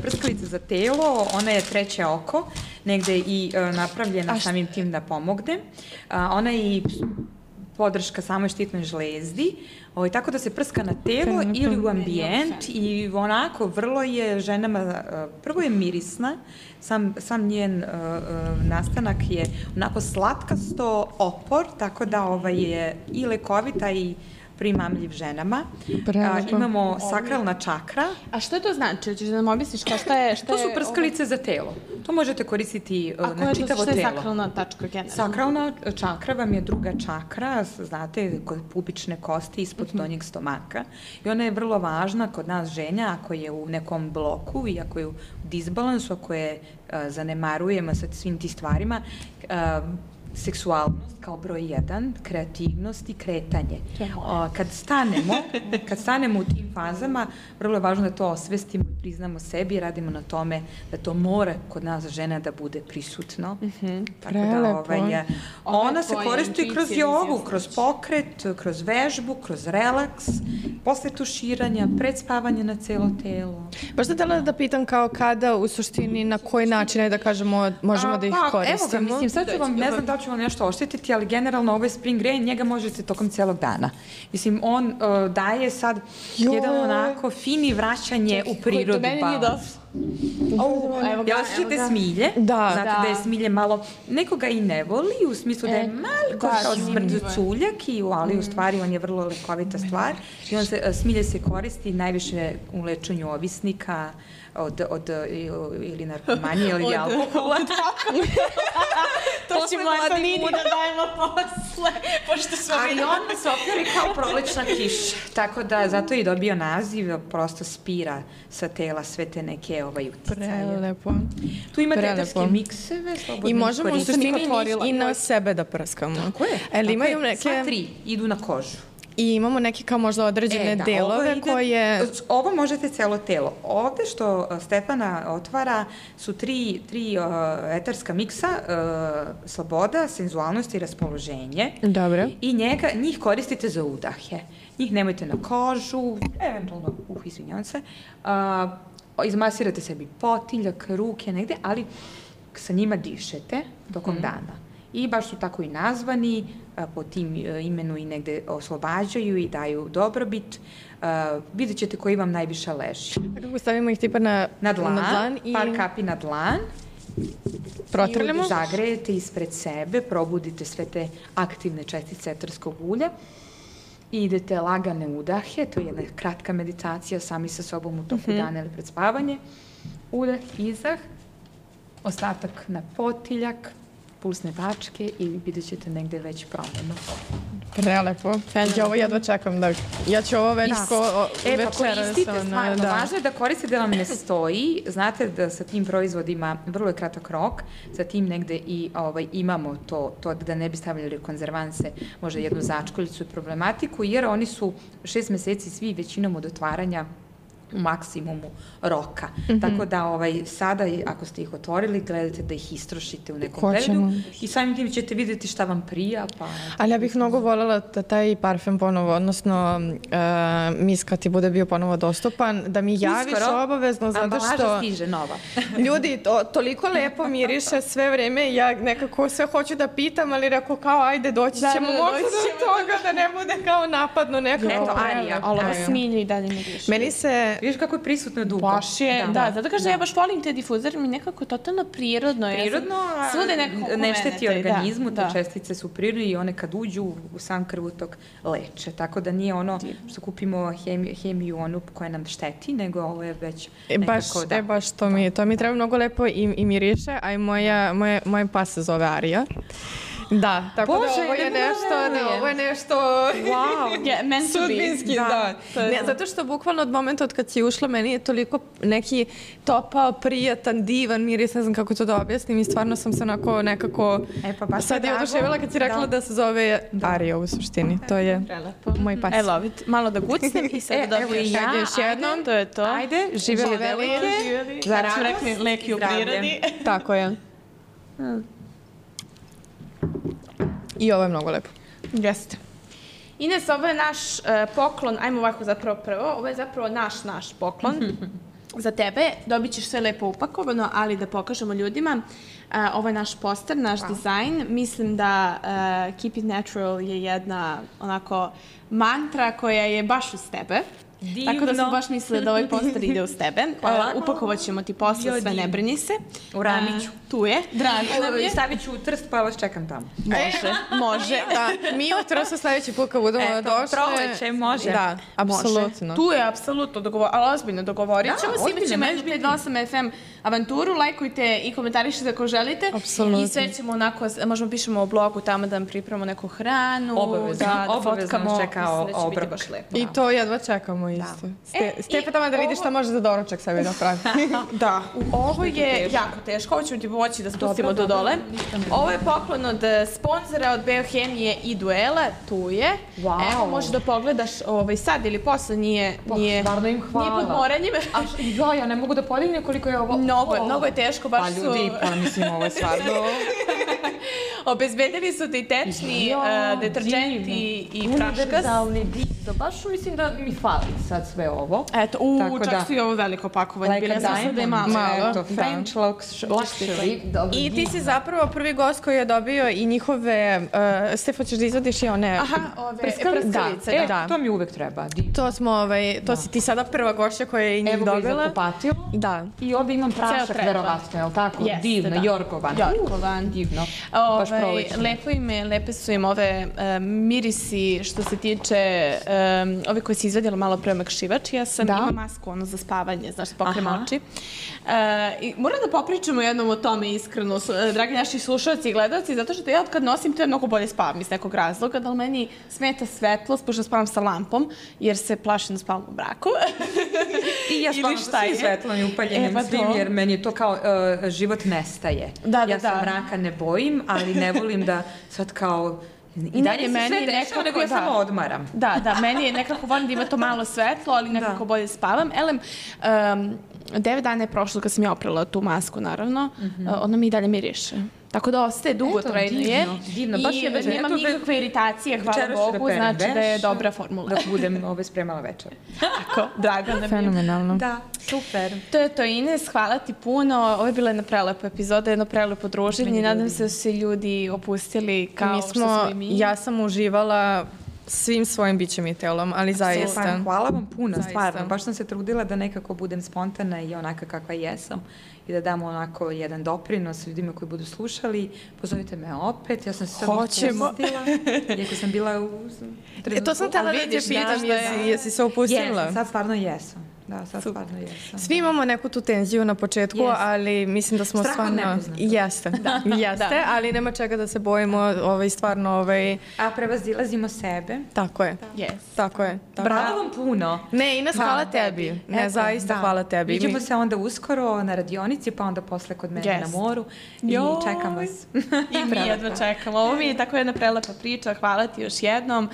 prskalica za telo, ona je treće oko, negde i napravljena samim tim da pomogne. Ona je i podrška samoj štitnoj žlezdi, tako da se prska na telo ili u ambijent i onako vrlo je ženama, prvo je mirisna, sam njen nastanak je onako slatkasto opor, tako da je i lekovita i primamljiv ženama. Imamo sakralna čakra. A što to znači? Češ da nam objasniš šta je... To su prskalice za telo. To možete koristiti na čitavo telo. A koja je sakralna tačka generalno? Sakralna čakra vam je druga čakra, znate, kod pubične kosti ispod donjeg stomaka. I ona je vrlo važna kod nas ženja ako je u nekom bloku i ako je u disbalansu, ako je zanemarujemo sa svim ti stvarima, seksualnost kao broj 1, kreativnost i kretanje. Kad stanemo u tim fazama, vrlo je važno da to osvestimo i priznamo sebi i radimo na tome da to mora kod nas žena da bude prisutno. Tako da ona se koristi kroz jogu, kroz pokret, kroz vežbu, kroz relaks, posle tuširanja, pred spavanje na celo telo. Baš da htjela da pitam kao kada u suštini, na koji način, da kažemo, možemo da ih koristimo? Evo ga, mislim, sad ću vam, ne znam da ću vam nešto oštetiti, ali generalno ovaj Spring Rain, njega možete tokom celog dana. Mislim, on daje sad jedan onako fini vraćanje u prirodu. To meni nije došlo. Jel osjećate smilje? Znate da je smilje malo, nekoga i ne voli, u smislu da je malo kao smrduculjak, ali u stvari on je vrlo lekovita stvar. I smilje se koristi najviše u lečenju ovisnika, ili narkomanije ili alkohola. To ćemo Antonini da dajemo posle, pošto su ovi... Ali on se opjeri kao prolećna kiša, tako da zato je dobio naziv, prosto spira sa tela sve te neke uticaje. Prelepo. Tu imate eterske mikseve, slobodno. I možemo u suštini i na sebe da prskamo. Tako je. Sva 3 idu na kožu. I imamo neke kao možda određene delove koje... Ovo možete celo telo. Ovde što Stefana otvara su tri etarska miksa, sloboda, senzualnost i raspoloženje. Dobro. I njih koristite za udahe. Njih nemojte na kožu, eventualno, izvinjavam se, izmasirate sebi potiljak, ruke, negde, ali sa njima dišete tokom dana. I baš su tako i nazvani, po tim imenu i negde oslobađaju i daju dobrobit. Vidjet ćete koji vam najviše leži. Kako stavimo ih tipa na dlan? Par kapi na dlan. Protrljamo? I zagrejete ispred sebe, probudite sve te aktivne čestice etarskog ulja. I idete lagane udahe, to je jedna kratka meditacija sami sa sobom u toku dana ili pred spavanje. Udah, izdah, ostatak na potiljak, pulsne tačke i vidjet ćete negde već promenu. Prelepo. Ja ovo jedva čekam da... Ja ću ovo već večeras... Koristite stvarno. Važno je da koristite da vam ne stoji. Znate da sa tim proizvodima vrlo je kratak rok. Sa tim negde i imamo to da ne bi stavljali konzervanse, možda jednu začkoljicu i problematiku, jer oni su 6 meseci svi većinom od otvaranja u maksimumu roka. Tako da sada, ako ste ih otvorili, gledajte da ih istrošite u nekom periodu i samim tim ćete vidjeti šta vam prija. Ali ja bih mnogo voljela da taj parfem ponovo, odnosno mis kad ti bude bio ponovo dostupan, da mi javiš obavezno, zato što... Ambalaža stiže nova. Ljudi, toliko lepo miriše sve vreme, ja nekako sve hoću da pitam, ali rekao kao, ajde, doći ćemo možda do toga, da ne bude kao napadno nekako. Eto, Arija. Ali ovo smilje i dalje mi više. Meni se... Viš kako je prisutno dugo. Baš je, zato kažem, ja baš volim te difuzore, mi nekako totalno prirodno. Prirodno, ne šteti organizmu, te čestice su prirodne i one kad uđu u sam krvutok leče. Tako da nije ono što kupimo hemiju onu koja nam šteti, nego ovo je već nekako da... Baš to mi treba mnogo lepo i miriše, a i moj pas se zove Arija. Da, tako da ovo je nešto sudbinski, da. Zato što bukvalno od momenta od kad si ušla, meni je toliko neki topao, prijatan, divan miris, ne znam kako to da objasnim i stvarno sam se onako nekako sad je oduševila kad si rekla da se zove Arija u suštini. To je moj pas. Evo, malo da gucnem i sad da dobiješ još jednom, to je to. Ajde, živjeli velike. Zato smo rekli leki u prirodi. Tako je. I ovo je mnogo lepo. Jeste. Ines, ovo je naš poklon, ajmo ovako zapravo prvo, ovo je zapravo naš poklon. za tebe. Dobit ćeš sve lepo upakovano, ali da pokažemo ljudima. Ovo je naš poster, naš dizajn. Mislim da Keep it natural je jedna onako mantra koja je baš uz tebe. Divno. Tako da smo baš mislili da ovaj poster ide uz tebe. Upakovat ćemo ti posle, sve ne brini se. U Ramiću. Tu je. Drago nam je. Stavit ću u Trst, pa vas čekam tamo. Može. Da, mi u Trstu sledeći put kad budemo došli. Proleće, može. Da, apsolutno. Tu je apsolutno, ali ozbiljno dogovorit ćemo. Imat ćemo 528 FM avanturu, lajkujte i komentarišite ako želite. Apsolutno. I sve ćemo onako, možemo pišemo o blogu tamo da vam pripremamo neku hranu. Obavezno nas čeka obrok. I to jedva čekamo isto. Stepe tamo da vidiš šta može za doručak sebi da pravi. Da, ovo je jako teško, ovo ćemo ti pomoći da spustimo do dole. Ovo je poklon od sponzora, od Beohemije i Duela, tu je. Evo, možeš da pogledaš sad ili posle, nije pod moranjem. Ja ne mogu da podignem koliko je ovo. Mnogo je teško, baš su... Pa ljudi, mislim, ovo je stvarno... Obezbedili su ti tečni deterđenti i praškas. Univerzalni dido, baš mislim da mi fali sad sve ovo. Eto, čak su i ovo veliko pakovanje. Like a diamond, eto, French luxury. I ti si zapravo prvi gost koji je dobio i njihove, Stefo, ćeš da izvadiš i one prskalice. Da, to mi uvek treba. To si ti sada prva gošća koja je i njih dobila. Evo ga i zakupatilo. Da. I ovdje imam prašak, verovatno, je li tako? Divno, Jorgovan. Divno. Lepe su im ove mirisi što se tiče ove koje si izvedjela malo pre omekšivač. Ja sam imam masku za spavanje, znaš, pokrem oči. Moram da popričamo jednom o tome iskreno, dragi naši slušalci i gledalci, zato što ja od kad nosim to je mnogo bolje spavam iz nekog razloga, da li meni smeta svetlost, pošto spavam sa lampom, jer se plašim da spavam u braku. I ja spavam sa svim svetlom i upaljenim svim, jer meni je to kao život nestaje. Ja se mraka ne bojim, ali ne volim da sad kao... I dalje se sve dešava, nego ja samo odmaram. Da, meni je nekako volim da ima to malo svetlo, ali nekako bolje spavam. Elem, 9 dana je prošlo kad sam ja oprala tu masku, naravno. Ona mi i dalje miriše. Tako da ostaje dugotrajno je. Divno, baš je večer. I nemam nikakve iritacije, hvala Bogu, znači da je dobra formula. Da budem spremala večer. Tako, drago nam je. Fenomenalno. Da, super. To je to, Ines, hvala ti puno. Ovo je bila jedna prelepa epizoda, jedno prelepo druženje. Nadam se da su se ljudi opustili kao što smo i mi. Ja sam uživala svim svojim bićem i telom, ali zaista. Hvala vam puno, stvarno. Baš sam se trudila da nekako budem spontana i onaka kakva jesam i da dam onako jedan doprinos ljudima koji budu slušali. Pozovite me opet, ja sam se sad upustila. Iako sam bila u... To sam tela da te pitam, jesi se upustila? Jesam, sad stvarno jesam. Da, sad stvarno jesam. Svi imamo neku tu tenziju na početku, ali mislim da smo stvarno... Strah od nepoznatog. Jeste, ali nema čega da se bojimo, stvarno... A prevazilazimo sebe. Tako je. Tako je. Bravo vam puno. Ne, Ines, hvala tebi. Ne, zaista hvala tebi. Vidimo se onda uskoro na radionici, pa onda posle kod mene na moru. I čekam vas. I mi jedva čekamo. Ovo mi je tako jedna prelepa priča. Hvala ti još jednom.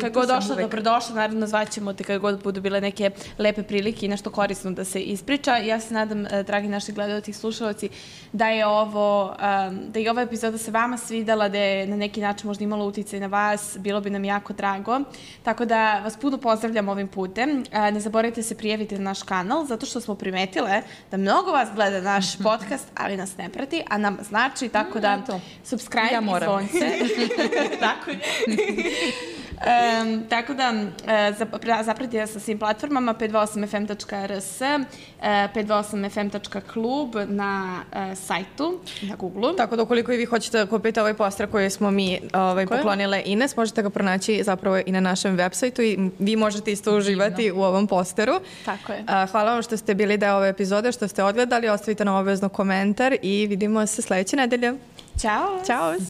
Kad god došla, dobrodošla. Naravno, zvaćemo te kad god budu bile neke lepe prilike i nešto korisno da se ispriča. Ja se nadam, dragi naši gledalci i slušalci, da je ova epizoda se vama svidela, da je na neki način možda imala uticaj na vas. Bilo bi nam jako drago. Tako da vas puno pozdravljam ovim putem. Ne zaboravite se prijaviti na naš kanal, zato što smo primetile da mnogo vas gleda naš podcast, ali nas ne prati, a nama znači, tako da subscribe i zvonce. Tako je. Tako da zapratite sa svim platformama 528fm.rs, 528fm.klub na sajtu, na Google-u. Tako da ukoliko i vi hoćete da kupite ovaj poster koji smo mi poklonile Ines, možete ga pronaći zapravo i na našem web sajtu i vi možete isto uživati u ovom posteru. Tako je. Hvala vam što ste bili deo ove epizode, što ste odgledali, ostavite nam obavezno komentar i vidimo se sledeće nedelje. Ćao! Ćao!